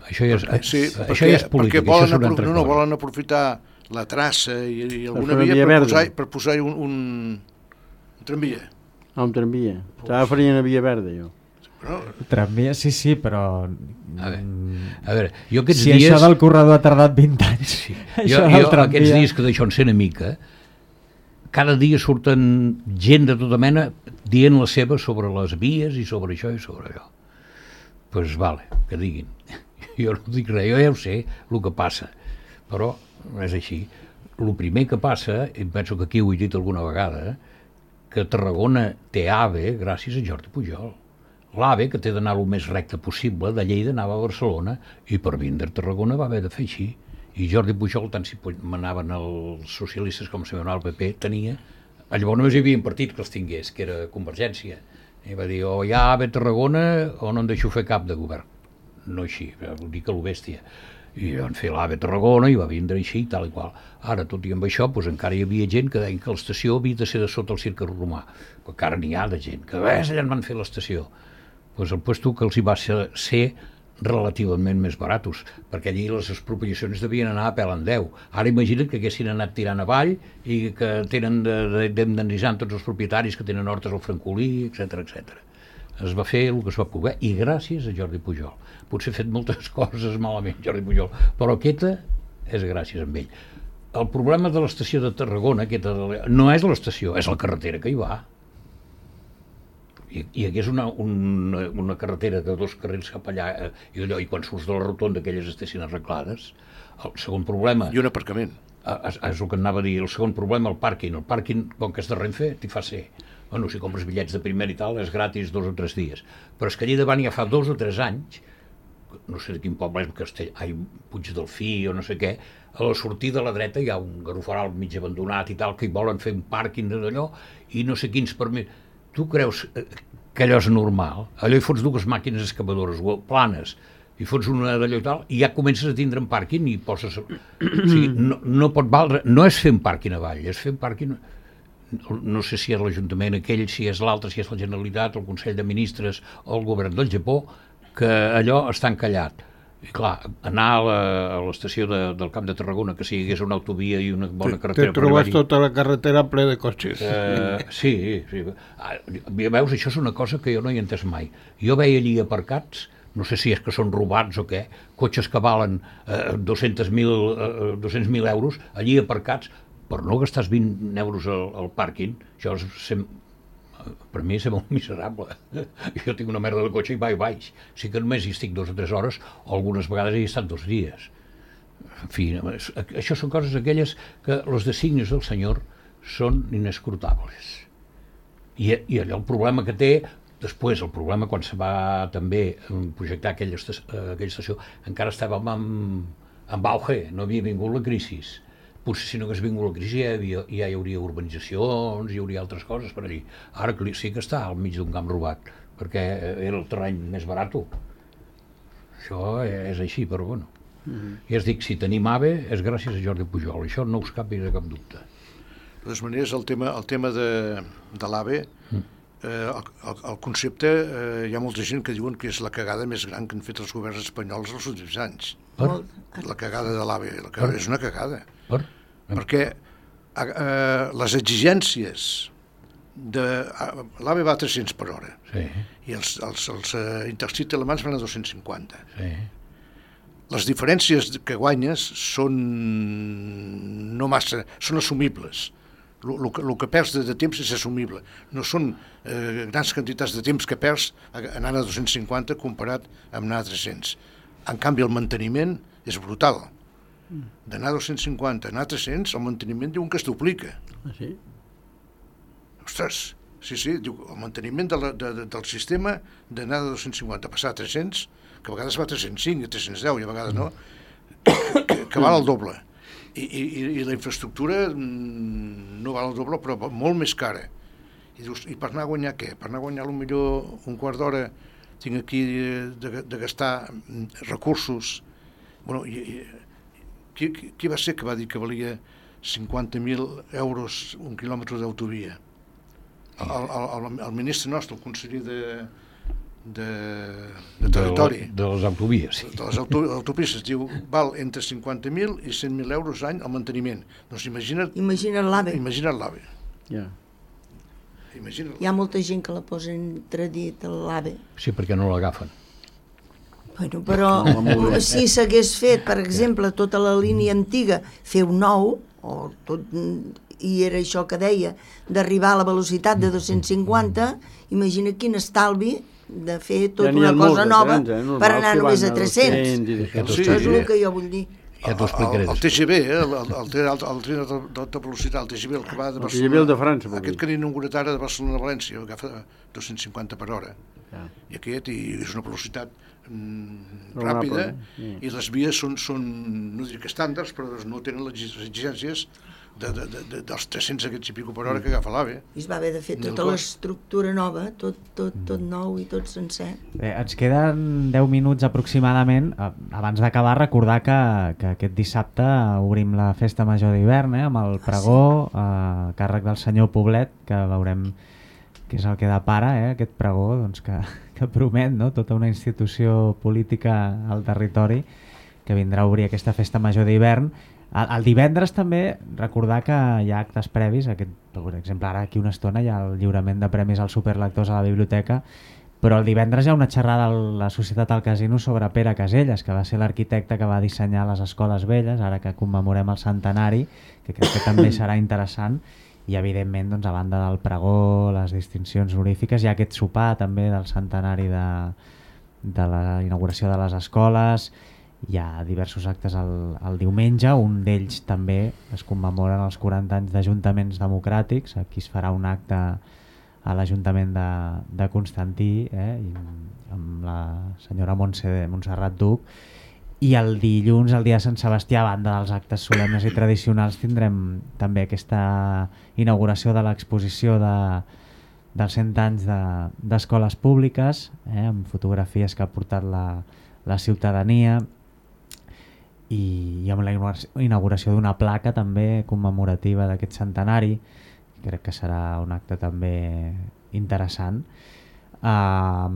Això ja és, Sí, això perquè, ja és polític, perquè això volen, és una apro altra no, no, cosa. volen aprofitar la traça i, i alguna fer una via via per verda. posar, per posar un, un, un tramvia. Ah, un tramvia. Estava farint a Via Verda, jo. No? Tramvia, sí, sí, però... A veure, a veure, jo aquests Si dies... això del corredor ha tardat vint anys, Sí. això Jo, del jo tramvia... aquests dies que d'això en sé una mica, cada dia surten gent de tota mena dient la seva sobre les vies i sobre això i sobre allò. Doncs pues vale, que diguin. Jo no dic res, jo ja ho sé, el que passa, però és així. El primer que passa, i penso que aquí ho he dit alguna vegada, que Tarragona té AVE gràcies a Jordi Pujol. L'AVE, que té d'anar el més recte possible, de Lleida anava a Barcelona, i per vindre a Tarragona va haver de fer així. I Jordi Pujol, tant si manaven els socialistes com si manava el P P, tenia... Llavors només hi havia un partit que els tingués, que era Convergència. I va dir, o hi ha AVE a Tarragona o no en deixo fer cap de govern. No així, vol dir que lo bèstia. I van fer l'AVE a Tarragona i va vindre així, tal i qual. Ara, tot i amb això, doncs, encara hi havia gent que deien que l'estació havia de ser de sota el cirque romà. Però encara n'hi ha de gent, que ves, allà en van fer l'estació. Pues el puesto que els hi va ser, ser relativament més baratos, perquè allí les expropiacions devien anar a pèl en deu. Ara imagina't que haguessin anat tirant avall i que tenen d'indemnitzar tots els propietaris que tenen hortes al Francolí, etcètera, etcètera. Es va fer el que es va poder, i gràcies a Jordi Pujol. Potser ha fet moltes coses malament, Jordi Pujol, però aquesta és gràcies a ell. El problema de l'estació de Tarragona, aquesta de... no és l'estació, és la carretera que hi va. I, i hagués una, una, una carretera de dos carrils cap allà, eh, i, allò, i quan surts de la rotonda aquelles estessin arreglades. El segon problema... I un aparcament. És, és el que anava a dir. El segon problema, el pàrquing. El pàrquing, com que és de Renfe, t'hi fa ser. Bueno, si compres bitllets de primer i tal, és gratis dos o tres dies. Però és que allà davant ja fa dos o tres anys, no sé de quin poble és, Castell, ai, Puigdelfí o no sé què, a la sortida a la dreta hi ha un garofaral mig abandonat i tal, que hi volen fer un pàrquing d'allò, i no sé quins permís. Tu creus que allò és normal? Allò hi fots dues màquines excavadores planes, i fots una d'allò i tal, i ja comences a tindre un pàrquing i poses... O sigui, no, no pot valdre... No és fer un pàrquing avall, és fer un pàrquing... No sé si és l'Ajuntament aquell, si és l'altre, si és la Generalitat, el Consell de Ministres o el Govern del Japó, que allò està encallat. I clar, anar a l'estació de, del Camp de Tarragona, que si hi hagués una autovia i una bona carretera... Te trobes tota la carretera ple de cotxes. Uh, sí, sí. Ah, veus, això és una cosa que jo no hi he entès mai. Jo veia allí aparcats, no sé si és que són robats o què, cotxes que valen uh, dos-cents mil euros, allí aparcats, per no gastar vint euros al, al pàrquing. Això és... Sem... per mi és molt miserable. Jo tinc una merda de cotxe i va i baix. Sí que només hi estic dues o tres hores, o algunes vegades hi he estat dos dies. En fi, això són coses aquelles que els designis del senyor són inescrutables. I, i allò el problema que té, després el problema quan se va també projectar aquella estació, aquella estació encara estava amb, amb auge, no havia vingut la crisi. Potser si no hagués vingut la crisi ja, havia, ja hi hauria urbanitzacions, hi hauria altres coses per allí. Ara sí que està al mig d'un camp robat, perquè era el terreny més barat. Això és així, però bueno. Mm-hmm. I es dic, si tenim AVE és gràcies a Jordi Pujol, això no us capi de cap dubte. De totes maneres, el tema, el tema de, de l'AVE, mm. eh, el, el, el concepte, eh, hi ha molta gent que diuen que és la cagada més gran que han fet els governs espanyols els últims anys. Per? La cagada de l'AVE, la cagada, és una cagada. Per? Perquè eh, les exigències de... l'AVE va a tres-cents per hora, sí. I els, els, els uh, intercity alemans van a dos-cents cinquanta. Sí. Les diferències que guanyes són no massa, són assumibles. El que, que perds de, de temps és assumible. No són eh, grans quantitats de temps que perds anant a dos-cents cinquanta comparat amb anar a tres-cents. En canvi, el manteniment és brutal. D'anar a dos-cents cinquanta, anar a tres-cents, el manteniment diuen que es duplica. Ah, sí? Ostres, sí, sí, diu, el manteniment de la, de, de, del sistema d'anar de dos-cents cinquanta a passar a tres-cents, que a vegades va a tres-cents cinc, a tres-cents deu i a vegades no, que, que val el doble. I, i, i la infraestructura no val el doble, però molt més cara. I dius, i per anar a guanyar què? Per anar a guanyar potser un quart d'hora tinc aquí de, de gastar recursos. Bueno, i, i, Qui, qui va ser que va dir que valia cinquanta mil euros un quilòmetre d'autovia? El, el, el, el ministre nostre, el conseller de, de, de territori. De, de les autovies, sí. De les auto, autopistes, diu, val entre cinquanta mil i cent mil euros any el manteniment. Doncs imagina't... Imagina't l'AVE. Imagina't l'AVE. Ja. Imagina't. Hi ha molta gent que la posa entre dit a l'AVE. Sí, perquè no l'agafen. Bueno, però no, si s'hagués fet, per exemple, tota la línia antiga, fer un nou, o tot, i era això que deia, d'arribar a la velocitat de dos-cents cinquanta, imagina quin estalvi de fer tota ja una cosa nova trens, eh? per anar només a tres-cents. Sí, això és el que jo vull dir. Ja t'ho explicaré. El, el T G V, eh, el, el, el, el, el tren d'alta velocitat, el T G V, el que va de El T G V el de França, vol dir. Aquest que han inaugurat ara de Barcelona a València, agafa dos-cents cinquanta per hora. Ja. I aquest, i és una velocitat mm, Raonable, ràpida, sí. i les vies són, són, no dic estàndards, però no tenen les exigències de, de, de, de, dels tres-cents aquests i pico per hora que agafa l'AVE. I es va haver de fer tota l'estructura nova, tot, tot, tot nou i tot sencer. Bé, ens queden deu minuts aproximadament. Abans d'acabar, recordar que, que aquest dissabte obrim la Festa Major d'hivern, eh, amb el pregó a càrrec del senyor Poblet, que veurem que és el que depara, eh, aquest pregó, doncs, que, que promet, no?, tota una institució política al territori que vindrà a obrir aquesta Festa Major d'hivern. El, el divendres també recordar que hi ha actes previs, aquest, per exemple ara aquí una estona hi ha el lliurament de premis als superlectors a la biblioteca, però el divendres hi ha una xerrada a la Societat al Casino sobre Pere Caselles, que va ser l'arquitecte que va dissenyar les escoles velles, ara que commemorem el centenari, que crec que també serà interessant, i evidentment, doncs, a banda del pregó, les distincions honorífiques, hi ha aquest sopar també del centenari de, de la inauguració de les escoles. Hi ha diversos actes el, el diumenge, un d'ells també es commemoren els quaranta anys d'Ajuntaments Democràtics. Aquí es farà un acte a l'Ajuntament de, de Constantí, eh, i amb la senyora Montse, Montserrat Duc, i el dilluns, el dia de Sant Sebastià, a banda dels actes solemnes i tradicionals, tindrem també aquesta inauguració de l'exposició de, dels cent anys d'escoles de, públiques, eh, amb fotografies que ha portat la, la ciutadania, i amb la inauguració d'una placa també commemorativa d'aquest centenari. Crec que serà un acte també interessant. Uh,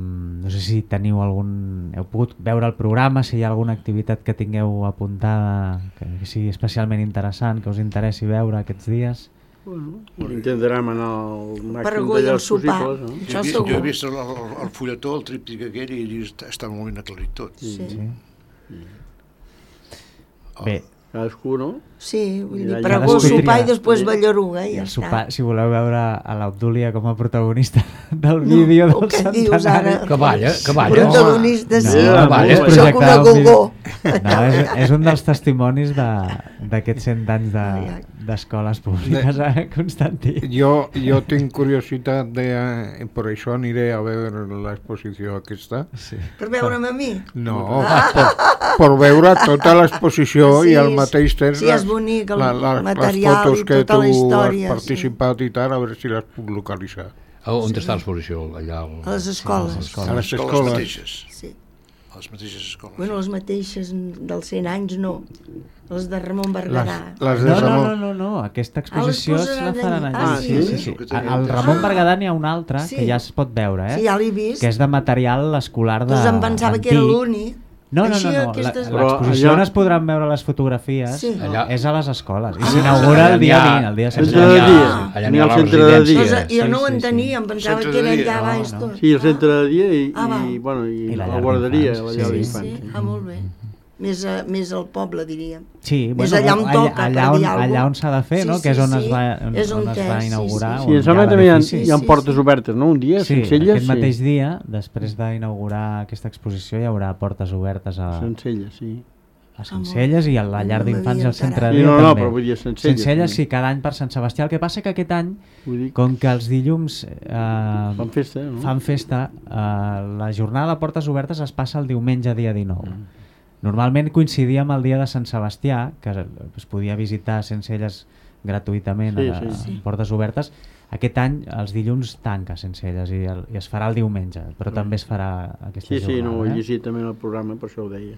no sé si teniu algun... heu pogut veure el programa, si hi ha alguna activitat que tingueu apuntada que sigui especialment interessant, que us interessi veure aquests dies. Bueno, intentarem anar al màxim Pregó i el sopar. possibles, no? Això Jo, segur. jo he vist el, el, el fulletó, el tríptic aquell, i està, està molt ben aclarit tot. Sí. Sí. Oh. Bé, Cadascú, no? Sí, vull dir, Ja- ja pregó, descobrirà. sopar i després ballaruga, i i ja el està. sopar, si voleu veure a l'Obdúlia com a protagonista del vídeo No, del què dius centenari... ara? Que balla, que balla. Protagonista, sí. No, balla. és Sóc una projectar un vídeo. gogó. No, és, és un dels testimonis d'aquests cent anys de- d'escoles públiques a Constantí. Jo, jo tinc curiositat de... Eh, per això aniré a veure l'exposició aquesta. Sí. Per veure'm a mi. No, per, per veure tota l'exposició Sí, i al mateix temps sí, és bonic el les material fotos i que tota tu la història, has participat i tal, a veure si les puc localitzar. A on està l'exposició? Allà al... A les escoles. A les escoles. A les escoles escoles. mateixes. Sí. A les mateixes escoles. Bueno, les mateixes dels cent anys no. Les de Ramon Berguedà. Les, les de No, no, Ramon. no, no, no, aquesta exposició Ah, les es la posaran faran allà. allà. Ah, sí, sí? sí, sí. Que tenia Al entès. Ramon Ah. Berguedà n'hi ha un altre Sí. que ja es pot veure, eh? Sí, ja l'he vist. Que és de material escolar de Doncs em pensava que era antic. l'únic. No, no, Així no, no. La- aquestes- Però l'exposició allà- on es podran veure les fotografies Sí. Allà- és a les escoles i s'inaugura allà el dia n'hi ha- vint, el dia de Sant Centre de Sebastià. dia. Allà N'hi n'hi ha ha el la centre de residència. dia. Doncs jo Sí, no ho sí, sí. entenia, em pensava Centre que era de dia. allà No, baix no. tot. Sí, el centre de dia i, Ah, val. i, bueno, i, I la la, llar guarderia, d'infants, la llar sí, Sí, d'infants. sí, ah, molt bé. Més, a, més al poble, diríem. Sí, És allà on toca, allà, per on, dir alguna allà cosa. on s'ha de fer, Sí, no? sí, Que és on sí. es va, on, És on on es és, va sí, inaugurar. sí, Sí, em on sembla hi que ha també hi ha, l'edifici. hi ha Sí, portes sí. obertes, no? Un dia, Sí, Sencelles, aquest sí. mateix dia, després d'inaugurar aquesta exposició, hi haurà portes obertes a, Sencelles, sí. a Sencelles i a la llar No d'infants i al m'havia centre de Sí, dia no, no, també. però vull dir Sencelles. Sencelles, sí. sí, cada any per Sant Sebastià. El que passa que aquest any, Vull dir, com que els dilluns eh, fan festa, no? fan festa, eh, la jornada de portes obertes es passa el diumenge dia dinou. Mm. Normalment coincidia amb el dia de Sant Sebastià, que es podia visitar Sencelles gratuïtament Sí, a, sí. a Sí. portes obertes. Aquest any els dilluns tanca Sencelles i, el, i es farà el diumenge, però també es farà aquesta Sí, sí, no ho jornada. he eh? llegit també en el programa, per això ho deia.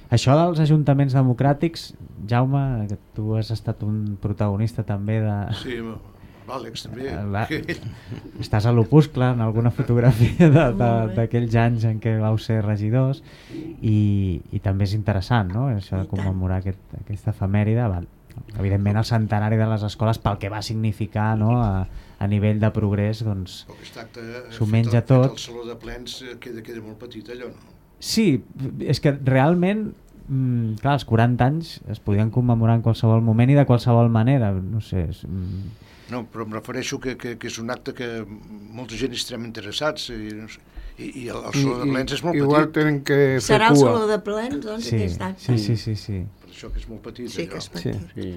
Això dels ajuntaments democràtics, Jaume, que tu has estat un protagonista també de... Sí, l'Àlex també. La- Estàs a l'opuscle en alguna fotografia de- de- d'aquells anys en què vau ser regidors i, i també és interessant, no? Això de I tant. commemorar aquest, aquesta efemèride. Val. Evidentment el centenari de les escoles pel que va significar, no? a, a nivell de progrés, doncs Però aquest acte s'ho fet menja al- fet tot. al saló de plens eh, queda, queda molt petit allò, no? sí, és que realment mm, clar, els quaranta anys es podien commemorar en qualsevol moment i de qualsevol manera, no sé, és, mm, No, però em refereixo que, que, que és un acte que molta gent hi estarem interessats i, no sé, I, i el, el saló de plens és molt igual petit. tenen que fer Serà el cua. saló de plens, doncs, Sí, aquest acte. sí, sí, sí, sí. Per això que és molt petit, Sí, que allò. és petit. Sí.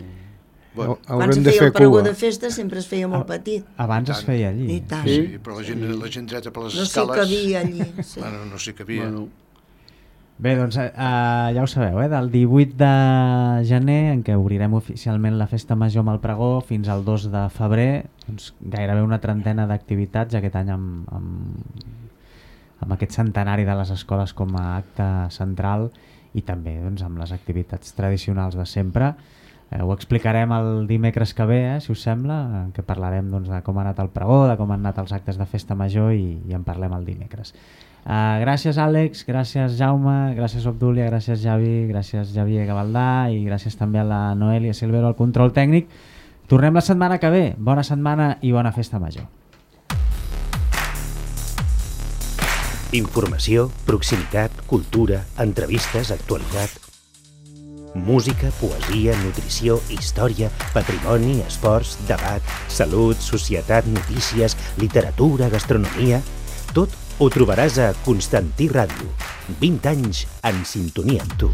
Bueno, Quan Haurem se de feia fer el pregó cua. de festa sempre es feia molt petit. Abans es feia allí. I tant. sí, però la gent, la gent dreta per les No s'hi escales... cabia allí. Sí. Bueno, no s'hi cabia. Bueno, Bé, doncs eh, ja ho sabeu, eh? Del divuit de gener, en què obrirem oficialment la festa major amb el pregó, fins al dos de febrer, doncs, gairebé una trentena d'activitats aquest any amb, amb, amb aquest centenari de les escoles com a acte central i també doncs, amb les activitats tradicionals de sempre. Eh, ho explicarem el dimecres que ve, eh, si us sembla, en què parlarem doncs, de com ha anat el pregó, de com han anat els actes de festa major i, i en parlem el dimecres. Uh, gràcies Àlex, gràcies Jaume, gràcies Obdúlia, gràcies Javi, gràcies Javier Gavaldà i gràcies també a la Noelia Silvero al control tècnic. Tornem la setmana que ve. Bona setmana i bona festa major. Informació, proximitat, cultura, entrevistes, actualitat. Música, poesia, nutrició, història, patrimoni, esports, debat, salut, societat, notícies, literatura, gastronomia... Tot ho trobaràs a Constantí Ràdio. vint anys en sintonia amb tu.